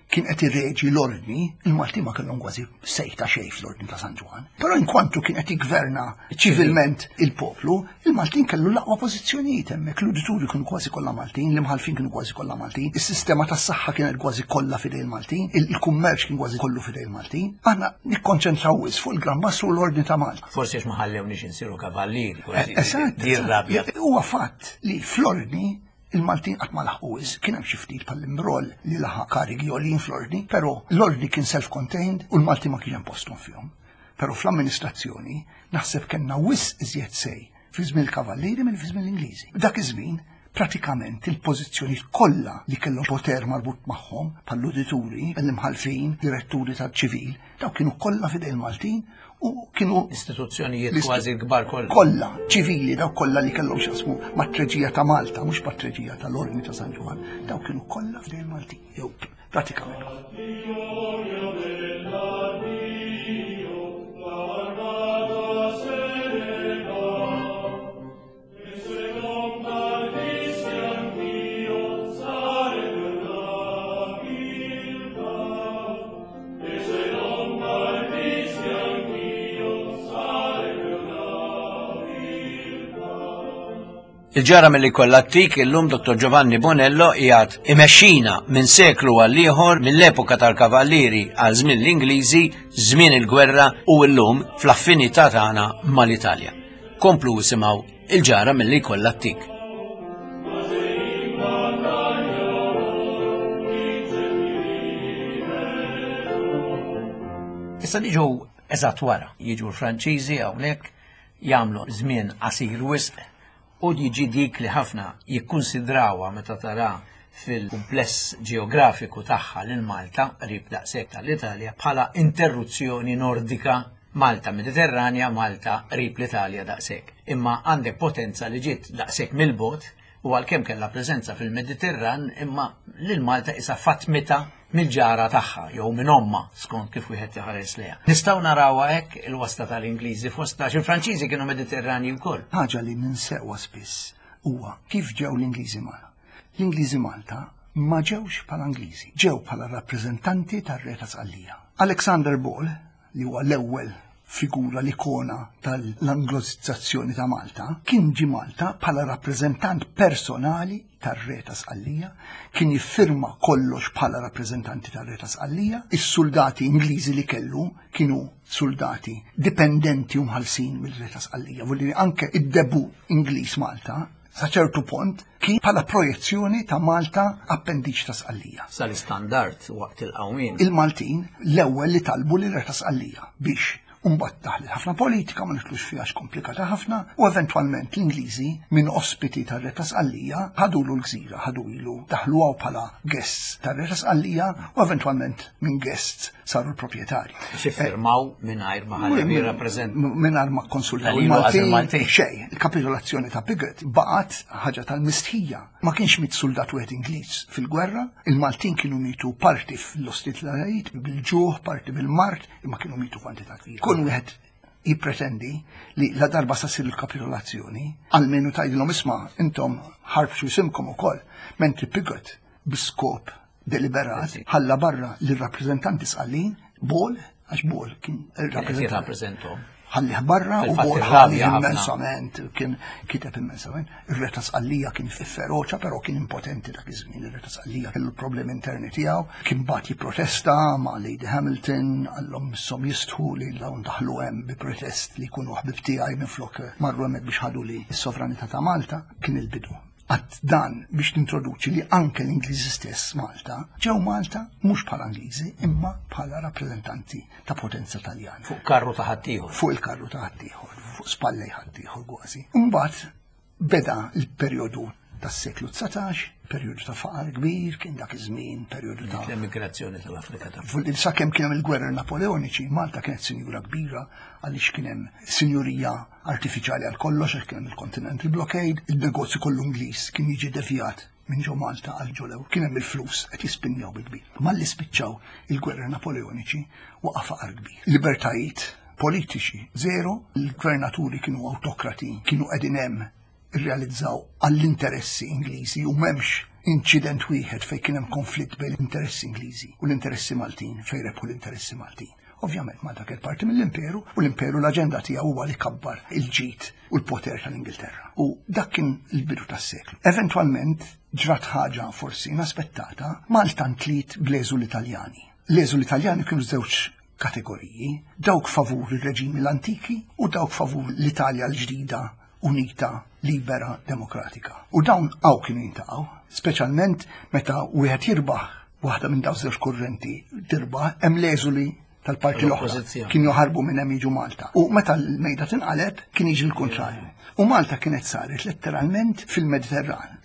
kien qed irreġi l-ordni, il-Maltin ma kellhom kważi sejta xejn fl-ordni ta' San Ġwann. Però inkwantu kien qed jiggverna ċivilment il-poplu, il-Maltin kellu l-aqwa pożizzjonijiet hemmhekk, l-udituri kienu kważi kollha Maltin, l-imħalfin kienu kważi kollha Maltin, is-sistema tas-saħħa kienet kważi kollha f'idej il-Maltin, il-kummerċ kien kważi kollu f'idej il-Maltin. Aħna nikkonċentraw wisq fuq il-Gran Mastru u l-ordni ta' Malta. Forsi għax ma ħallewniex insiru kavallieri, forsi Eżatt, di rabja. eżatt. Huwa fatt li fl-ordni il-Maltin qatt ma laħqu wisq, kien hemm xi ftit bħall-Imroll li laħaq karigi għoljin fl-ordni, però l-ordni kien self-contained u l-Maltin ma kienx hemm posthom fihom. Però fl-amministrazzjoni naħseb kellna wisq iżjed say fi żmien il-kavallieri minn fi żmien l-Ingliżi. Dak iż-żmien pratikament il-pożizzjoni kollha li kellhom poter marbut magħhom bħall-udituri, l-imħalfin, diretturi tal-ċivil, daw kienu kollha f'idej il-Maltin u kienu Istituzzjonijiet L-istu- kważi l-kbar kollha. kollha ċivili daw kollha li kellhom x'jaqsmu mat-treġija ta' Malta, mhux mat-treġija tal-Ordni ta' San Ġwann, daw kienu kollha f'idej il-Maltin, jew pratikament. Gloria dell'addio, l'armata se ne va. E se non partissi anch'io, sarebbe una viltà. E se non partissi anch'io, sarebbe una viltà. Il-ġara mill kollha ttik illum Dottor Giovanni Bonello qiegħed imexxina minn seklu għal ieħor mill-epoka tal-kavallieri għal żmien l-Ingliżi, żmien il-gwerra u llum fl-affinità tagħna mal-Italja. Komplu isimgħu il-ġara mill kollha ttik. Ma se in battaglia vince Issa niġu eżatt wara, jiġu l-Franċiżi hawnhekk jagħmlu żmien qasir wisq u jiġi dik li ħafna jikkunsidrawha meta tara fil-kumpless ġeografiku tagħha lil Malta qrib daqshekk tal-Italja bħala interruzzjoni nordika Malta Mediterranja, Malta qrib l-Italja daqshekk. Imma għandek potenza li ġiet daqshekk mill-bogħod u għalkemm kellha preżenza fil-Mediterran imma lil Malta isa fatmita mill-ġara tagħha jew minn omma skont kif wieħed iħares lejha. Nistgħu narawha hekk il-wasta tal-Ingliżi fost għax il-Franċiżi kienu Mediterranji wkoll. Ħaġa li ninsewha spiss huwa kif ġew l-Ingliżi Malta. L-Ingliżi Malta ma ġewx bħala Ingliżi, ġew bħala rappreżentanti tar-Re ta' Sqallija. Alexander Ball, li huwa l-ewwel figura l-ikona tal-Anglosizzazzjoni ta' Malta, kien ġi Malta bħala rappreżentant personali tar-Re ta' Sqallija, kien jiffirma kollox bħala rappreżentanti tar-Re ta' Sqallija, is-soldati Ingliżi li kellu kienu soldati dipendenti u mħallsin mill-Re ta' Sqallija. Vuol dire anke id-debut Ingliż Malta sa ċertu punt kien bħala projezzjoni ta' Malta appendiċ ta' Sqallija. Sal-istandard waqt il-qawmien. Il-Maltin l-ewwel li talbu lil Re ta' Sqallija biex Imbagħad daħlet ħafna politika, ma nidħlux fiha komplikata ħafna, u eventwalment l-Ingliżi minn ospiti tar-Re ta' Sqallija ħadulu l-gżira, ħadu ilu, daħlu għaw bħala guests tar-Re ta' Sqallija u eventwalment minn guests saru l-proprjetari. Iffirmaw mingħajr ma ħalli jirrappreżent. Mingħajr ma konsultaw il-Maltin. Xej, il-kapitolazzjoni ta' Pigot baqgħet ħaġa tal-mistħija. Ma kienx miet soldat wieħed Ingliż fil-gwerra, il-Maltin kienu mitu parti fl-ostilitajiet bil-ġuħ, parti bil-mard, imma kienu mitu kwantità kbira. Kun wieħed jippretendi li la darba sa ssir il-kapitolazzjoni, almenu tgħidilhom isma' intom ħarbxu isimkom ukoll, mentri Pigot b'iskop deliberat ħalla barra lir-rappreżentanti Sqallin Ball, għax Ball kien il-rappreżentant. Ħallih barra u Ball ħalli immensament, kien kiteb immensament. Ir-Re ta' Sqallija kien feroċa, però kien impotenti dak iż-żmien. Ir-Re ta' Sqallija kellu problemi interni tiegħu, kien bagħat jipprotesta ma' Lady Hamilton, qallhom misshom jistħu li dawn daħlu hemm bi protest li jkunu ħbib tiegħi minflok marru hemmhekk biex ħadu li s-sovranità ta' Malta. Kien il-bidu. Għat dan biex nintroduċi li anke l-Ingliżi stess Malta, ġew Malta mhux bħala Ingliżi imma bħala rappreżentanti ta' potenza Taljana. Fuq karru ta' ħaddieħor. Fuq il-karru ta' ħaddieħor, fuq spallej ħaddieħor kważi. Imbagħad beda l-perjodu tas-seklu dsatax, perjodu ta' faqar kbir, kien dak iż-żmien, perjodu ta' l-emigrazzjoni tal-Afrika ta' Sakemm kien hemm il-gwerra Napoleoniċi, Malta kienet sinjura kbira għaliex kien hemm sinjurija artifiċjali għal kollox, għax kien hemm il-Continental Blockade, il-negozju kollu Ingliż kien jiġi devjat minn ġo Malta għal ġo lew. Kien hemm il-flus qed jispinjaw bil-kbir. Malli spiċċaw il-gwerra Napoleoniċi waqa' faqar kbir. Libertajiet politiċi zero, il-gvernaturi kienu autokrati, kienu qegħdin hemm irrealizzaw għall-interessi Ingliżi u m'hemmx inċident wieħed fejn kien hemm konflitt bejn l-interessi Ingliżi u l-interessi Maltin fejn rebħu l-interessi Maltin. Ovvjament Malta kien parti mill-imperu u l-imperu l-aġenda tiegħu huwa li kabbar il-ġid u l-poter tal-Ingilterra. U dak kien il-bidu tas-seklu. Eventwalment ġrat ħaġa forsi inaspettata, Malta ntliet bl-eżul Italjani. L-eżul Italjani kienu żewġ kategoriji, dawk favur il-reġimi l-antiki u dawk favur l-Italja l-ġdida unita, libera, demokratika. U dawn għaw kienu jintaqgħu, speċjalment meta wieħed jirbaħ waħda minn dawn żewġ kurrenti tirbaħ, hemm l-eżuli tal-parti l-oħra kienu joħarbu minn hemm jiġu Malta. U meta l-mejda tinqaleb kien jiġi l-kontrarju. U Malta kienet saret letteralment fil-Mediterran.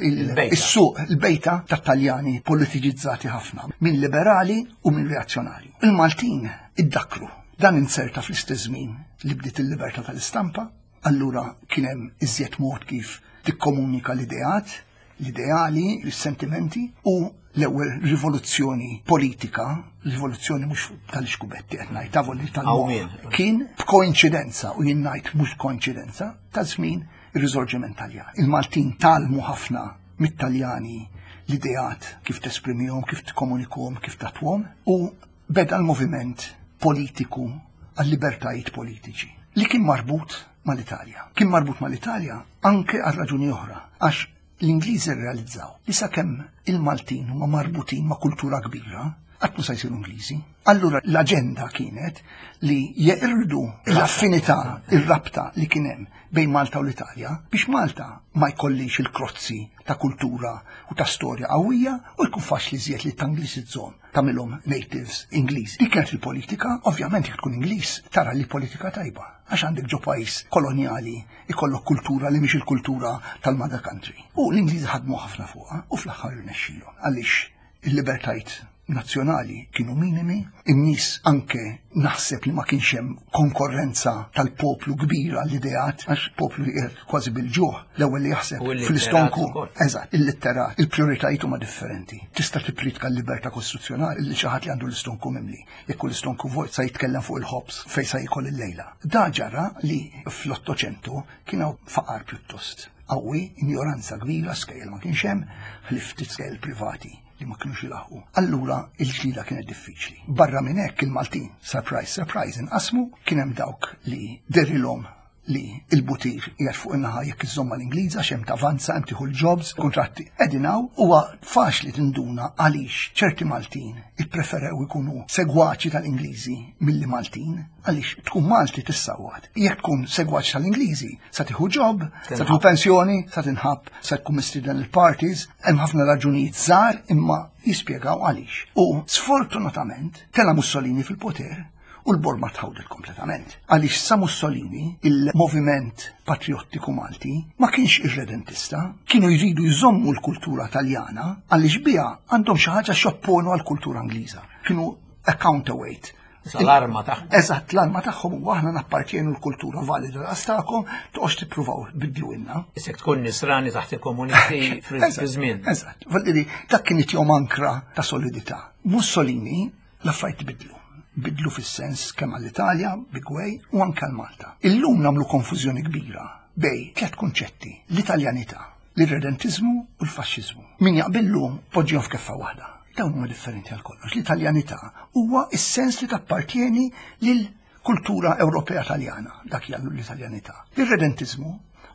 Is-suq, il-bejta tat-Taljani politiċizzati ħafna, minn liberali u minn reazzjonari. Il-Maltin iddakru. Dan inserta fl-istess żmien li bdiet il-libertà tal-istampa, allura kien hemm iżjed mod kif tikkomunika l-ideat, l-ideali, l-sentimenti u l-ewwel rivoluzzjoni politika, rivoluzzjoni mhux tal-ixkubetti qed ngħid, tavoli tal-moħħ, kien b'koinċidenza u jien ngħid mhux koinċidenza ta' żmien ir-Risorġiment Taljan. Il-Maltin talmu ħafna mit-Taljani l-ideat kif tesprimihom, kif tikkomunikhom, kif tatwhom u beda l-moviment politiku għal-libertajiet politiċi li kien marbut mal-Italja. Kien marbut mal-Italja anke għal raġuni oħra, għax l-Ingliżi rrealizzaw li sakemm il-Maltin huma marbutin ma' kultura kbira, qatt ma se jsiru Ingliżi. Allura l-aġenda kienet li jeqirdu l-affinità, ir-rabta li kien hemm bejn Malta u l-Italja biex Malta ma jkollix il-krozzi ta' kultura u ta' storja qawwija u jkun faċli żjed li tanglisizzhom tagħmilhom natives Ingliżi. Dik kienet il-politika, ovvjament jekk tkun Ingliż tara li politika tajba għax għandek ġo pajjiż kolonjali ikollok kultura li mhix il-kultura tal-mother country. U l-Ingliżi ħadmu ħafna fuqha u fl-aħħar irnexxielhom għaliex il-libertajt nazzjonali kienu minimi, in-nies anke naħseb li ma kienx hemm konkorrenza tal-poplu kbira l-ideat, għax poplu li qiegħed kważi bil-ġuħ, l-ewwel li jaħseb fl-istonku. Eżatt, il-litterat, il-prijoritajiet huma differenti. Tista' tippritka l-libertà kostituzzjonali li xi ħadd li għandu l-istonku mimli. Jekk l-istonku vojt sa jitkellem fuq il-ħobż fejn sa jkoll il-lejla. Da ġara li fl-Ottocento kien hawn faqar pjuttost qawwi, injoranza kbira, skejjel ma kienx hemm, ħlief ftit skejjel privati li ma kienux jilaħqu. Allura il-ġlida kienet diffiċli. Barra minn hekk il-Maltin, surprise, surprise, inqasmu, kien hemm dawk li derilhom li il-butir qiegħed fuq in-naħa jekk iżżomm mal-Ingliż għax hemm tavanza, hemm tieħu l-jobs, kontratti. Qegħdin hawn huwa faċli tinduna għaliex ċerti Maltin ippreferew ikunu segwaċi tal-Ingliżi milli Maltin, għaliex tkun Malti tissawwat. Jekk tkun segwaċi tal-Ingliżi, sa tieħu job, sa tieħu pensjoni, sa tinħabb, sa tkun mistieden il-parties, hemm ħafna raġunijiet żgħar imma jispjegaw għaliex. U sfortunatament tela Mussolini fil-poter u l-borma tħawdet kompletament. Għaliex sa Mussolini, il-moviment patriottiku Malti ma kienx irredentista, kienu jridu jżommu l-kultura taljana għaliex biha għandhom xi ħaġa x'jopponu għall-kultura Ingliża. Kienu a counterweight. L-arma tagħhom. Eżatt, l-arma tagħhom u aħna nappartjenu l-kultura valida għastakom, toqgħodx tippruvaw bidlu inna. Isek tkun nisrani taħt il-komunisti fi żmien. Eżatt, Valdiri, dak kien jom ankra ta' solidità. Mussolini l-affarijiet bidlu. Bidlu fis-sens kemm għall-Italja, big way, u anke għal-Malta. Illum nagħmlu konfużjoni kbira bejn tliet kunċetti: l-Italjanità, l-irredentizmu u l-faxxiżmu. Min jaqbillu poġġihom f'keffa waħda. Dawn huma differenti għal kollox. L-Italjanità huwa is-sens li tappartieni lil kultura Ewropea Taljana, dak hija l-Italjanità. L-irredentizmu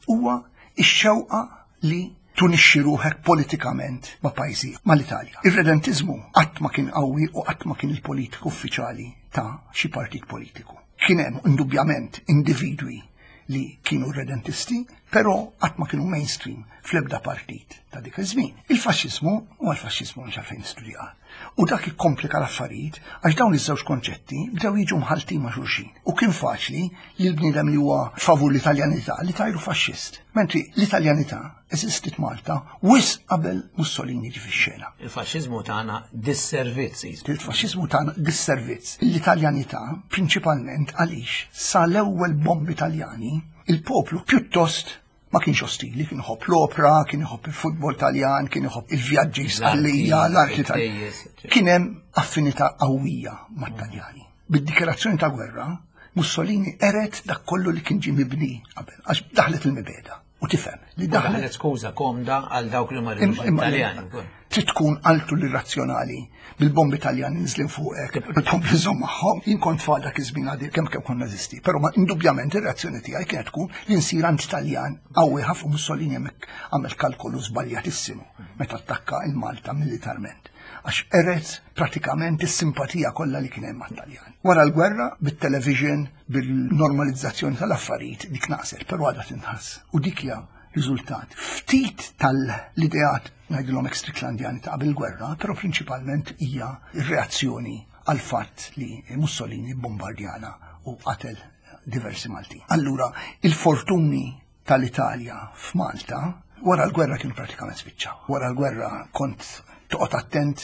huwa ix-xewqa li tunixxi ruħek politikament ma' pajjiżi mal-Italja. Ir-redentizmu qatt ma kien qawwi u qatt ma kien il-politiku uffiċjali ta' xi partit politiku. Kien hemm indubjament individwi li kienu redentisti, però qatt ma kienu mainstream fl-ebda partit ta' dik iż-żmien. Il-faxxiżmu u l-faxxiżmu mhux għalfejn nistudja. U dak ikkomplika l-affarijiet għax dawn iż-żewġ konċetti bdew jiġu mħaltin ma' xulxin. U kien faċli li l-bniedem li huwa favur l-Italjanità li tajru faxxist. Mentri l-Italjanità eżistit Malta wisq qabel Mussolini ġi fix-xena. Il-faxxiżmu tagħna disservizz. Il-faxxiżmu tagħna disservizz. L-Italjanità prinċipalment għaliex sa l-ewwel bombi Taljani il-poplu pjuttost ma kienx ostili, kien iħobb l-opera, kien iħobb il-futbol Taljan, kien iħobb il-vjaġġi Sqallija, l-arti Taljan. Kien hemm affinità qawwija mat-Taljani. Bid-dikjarazzjoni ta' gwerra, Mussolini qered dak kollu li kien ġie mibni qabel, għax daħlet il-mibegħda. U tifhem li daħlet Daħlet skuża komda għal dawk li ma rridux Italjani. Trid tkun altu l-irrazzjonali bil-bombi Taljani nżlin fuqek, tkompli żomm magħhom. Jien kont tfal dak iż-żmien għadi kemm kemm konna nazisti, però ma indubjament ir-reazzjoni tiegħi kienet tkun li nsir anti-Taljan qawwi ħafna. Mussolini hemmhekk għamel kalkolu żbaljatissimu meta attakka il-Malta militarment għax qered pratikament is-simpatija kollha li kien hemm mat-Taljan. Wara l-gwerra, bit-television, bil-normalizzazzjoni tal-affarijiet, dik naqset, però għadha tinħass. U dik hija riżultat ftit tal-ideat ngħidilhom Stricklandjani ta' qabel gwerra, però prinċipalment hija r-reazzjoni għal fatt li Mussolini bombardjana u qatel diversi Malti. Allura, il-fortuni tal-Italja f'Malta wara l-gwerra kienu pratikament spiċċaw. Wara l-gwerra kont toqgħod attent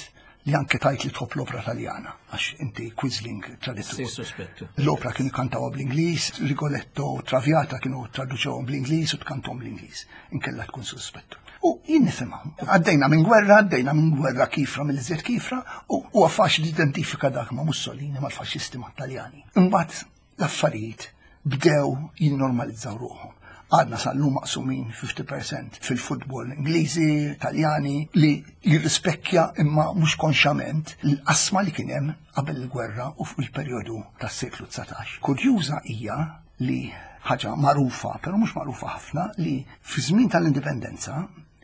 li anke tajt li tħobb l-opera taljana, għax inti quisling traditur. Sospettu. L-opera kienu kantawha bl-Ingliż, Rigoletto, Traviata kienu traduċewhom bl-Ingliż u tkantahom bl-Ingliż. Inkella tkun suspettu. U jien nifhimhom. Għaddejna minn gwerra, għaddejna minn gwerra kifra mill-iżjed kifra, u huwa faċli identifika dak ma' Mussolini, mal-faxxisti, mat-Taljani. Imbagħad l-affarijiet bdew jinnormalizzaw ruħhom. Għadna sal-lum maqsumin fifty percent fil-futbol Ingliżi, Taljani, li jirrispekkja imma mhux konxament l-qasma li kien hemm qabel il-gwerra u fuq il-perjodu tas-seklu dsatax. Kurjuża hija li ħaġa magħrufa, però mhux magħrufa ħafna, li fi żmien tal-indipendenza,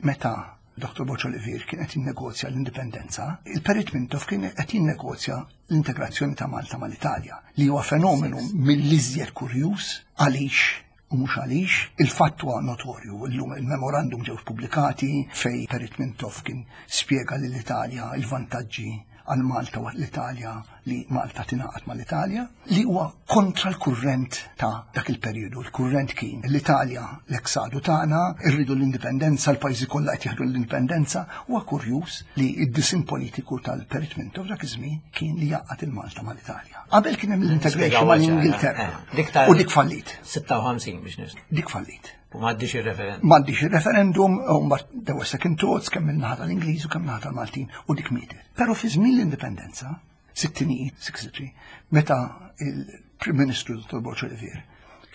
meta Doktor Borg Olivier kien qed jinnegozja l-indipendenza, il-Perit Mintoff kien qed jinnegozja l-integrazzjoni ta' Malta mal-Italja, li huwa fenomenu mill-iżjed kurjuż għaliex u mhux għaliex il-fatt huwa notorju, illum il-memorandum ġew pubblikati fej Perit Mintoff kien spjega lill-Italja il-vantaġġi għal Malta u l-Italja li Malta tingħaqad mal-Italja, li huwa kontra l-kurrent ta' dak il-perjodu. Il-kurrent kien l-Italja l-eksadu tagħna, irridu l-indipendenza, l-pajjiżi kollha qed jieħdu l-indipendenza. Huwa kurjuż li id-disin politiku tal-Perit Mintoff dak iż-żmien kien li jgħaqqad il-Malta mal-Italja. Qabel kien hemm l-integration mal-Ingilterra. Dik ta' U dik fallit. sitta u ħamsin biex nis. Dik fallit. U m'għaddix il-referendum. M'għaddix il-referendum, u mbagħad there were second thoughts kemm min-naħa tal-Ingliż u kemm naħa tal-Maltin u dik mietet. Però fi żmien l-indipendenza, sittinijiet, sixty-three, meta il-Prim Ministru Dottor Borg Olivier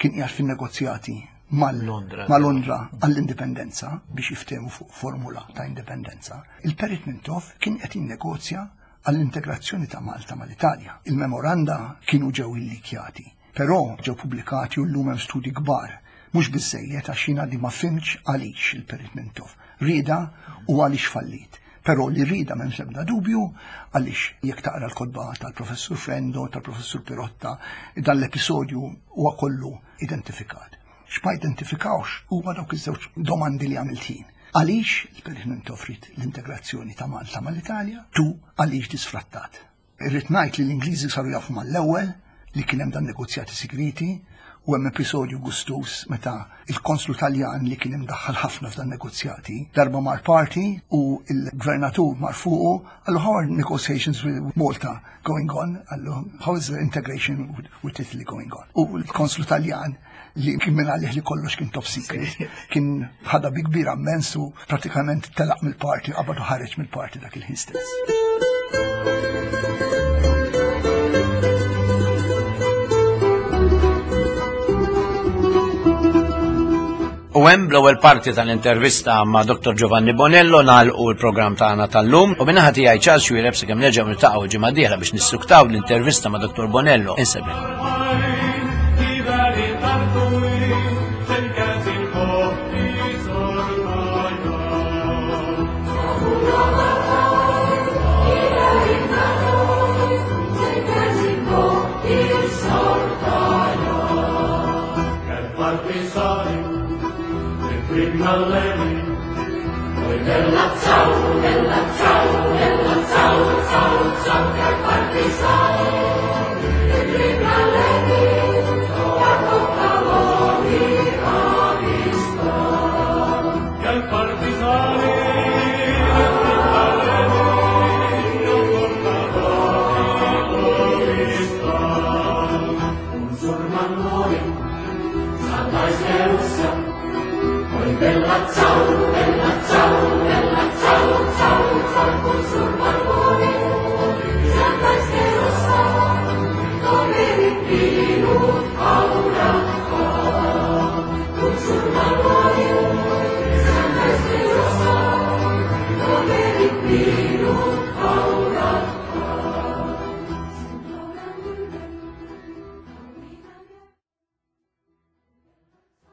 kien qiegħed fin-negozjati Londra. ma' Londra għall-indipendenza biex jiftehmu fuq formula ta' indipendenza, il-Perit Mintoff kien qed jinnegozja għall-integrazzjoni ta' Malta mal-Italja. Il-memoranda kienu ġew illikjati. Però ġew pubblikati u llum hemm studji kbar. Mhux biżejjed għax jiena di ma fhimtx għaliex il-Perit Mintoff rieda u għaliex fallit. Però li rieda m'hemmx ebda dubju għaliex jekk taqra l-kotba tal-Professur Frendo, tal-Professur Pirotta, dan l-episodju huwa kollu identifikat. X'ma identifikawx huwa dawk iż-żewġ domandi li għamilt jien. Għaliex il-Perit Mintoff ried l-integrazzjoni ta' Malta mal-Italja, tu għaliex disfrattat. Irrid ngħid li l-Ingliżi saru jafu mal-ewwel li kien hemm dan negozjati segreti u hemm episodju gustus meta il-konslu Taljan li kien imdaħħal ħafna f'dan negozjati darba mar party u il-gvernatur mar fuqu qallu how are negotiations with Malta going on? Qallu how is the integration with, with Italy going on? U l-konslu Taljan li kien minn għalih li kollox kien top secret, kien ħadha bi kbira immens u pratikament telaq mill-party, qabad u ħareġ mill-party dak il-ħin stess. U hemm l-ewwel parti tal-intervista ma' Dr. Giovanni Bonello nagħlqu l-programm tagħna tal-lum u min-naħa tiegħi Charles Xuereb sakemm nerġgħu niltaqgħu ġimgħa dieħla biex nissuktaw l-intervista ma' Dr. Bonello. Insellmilkom. Bella ciao, bella ciao, bella ciao, ciao, ciao, che partigiani, e criminaletti, la portavoli a vista. Che partigiani, e criminaletti, la portavoli a vista. Un giorno a noi, salvai Russia, poi bella ciao, bella ciao, bella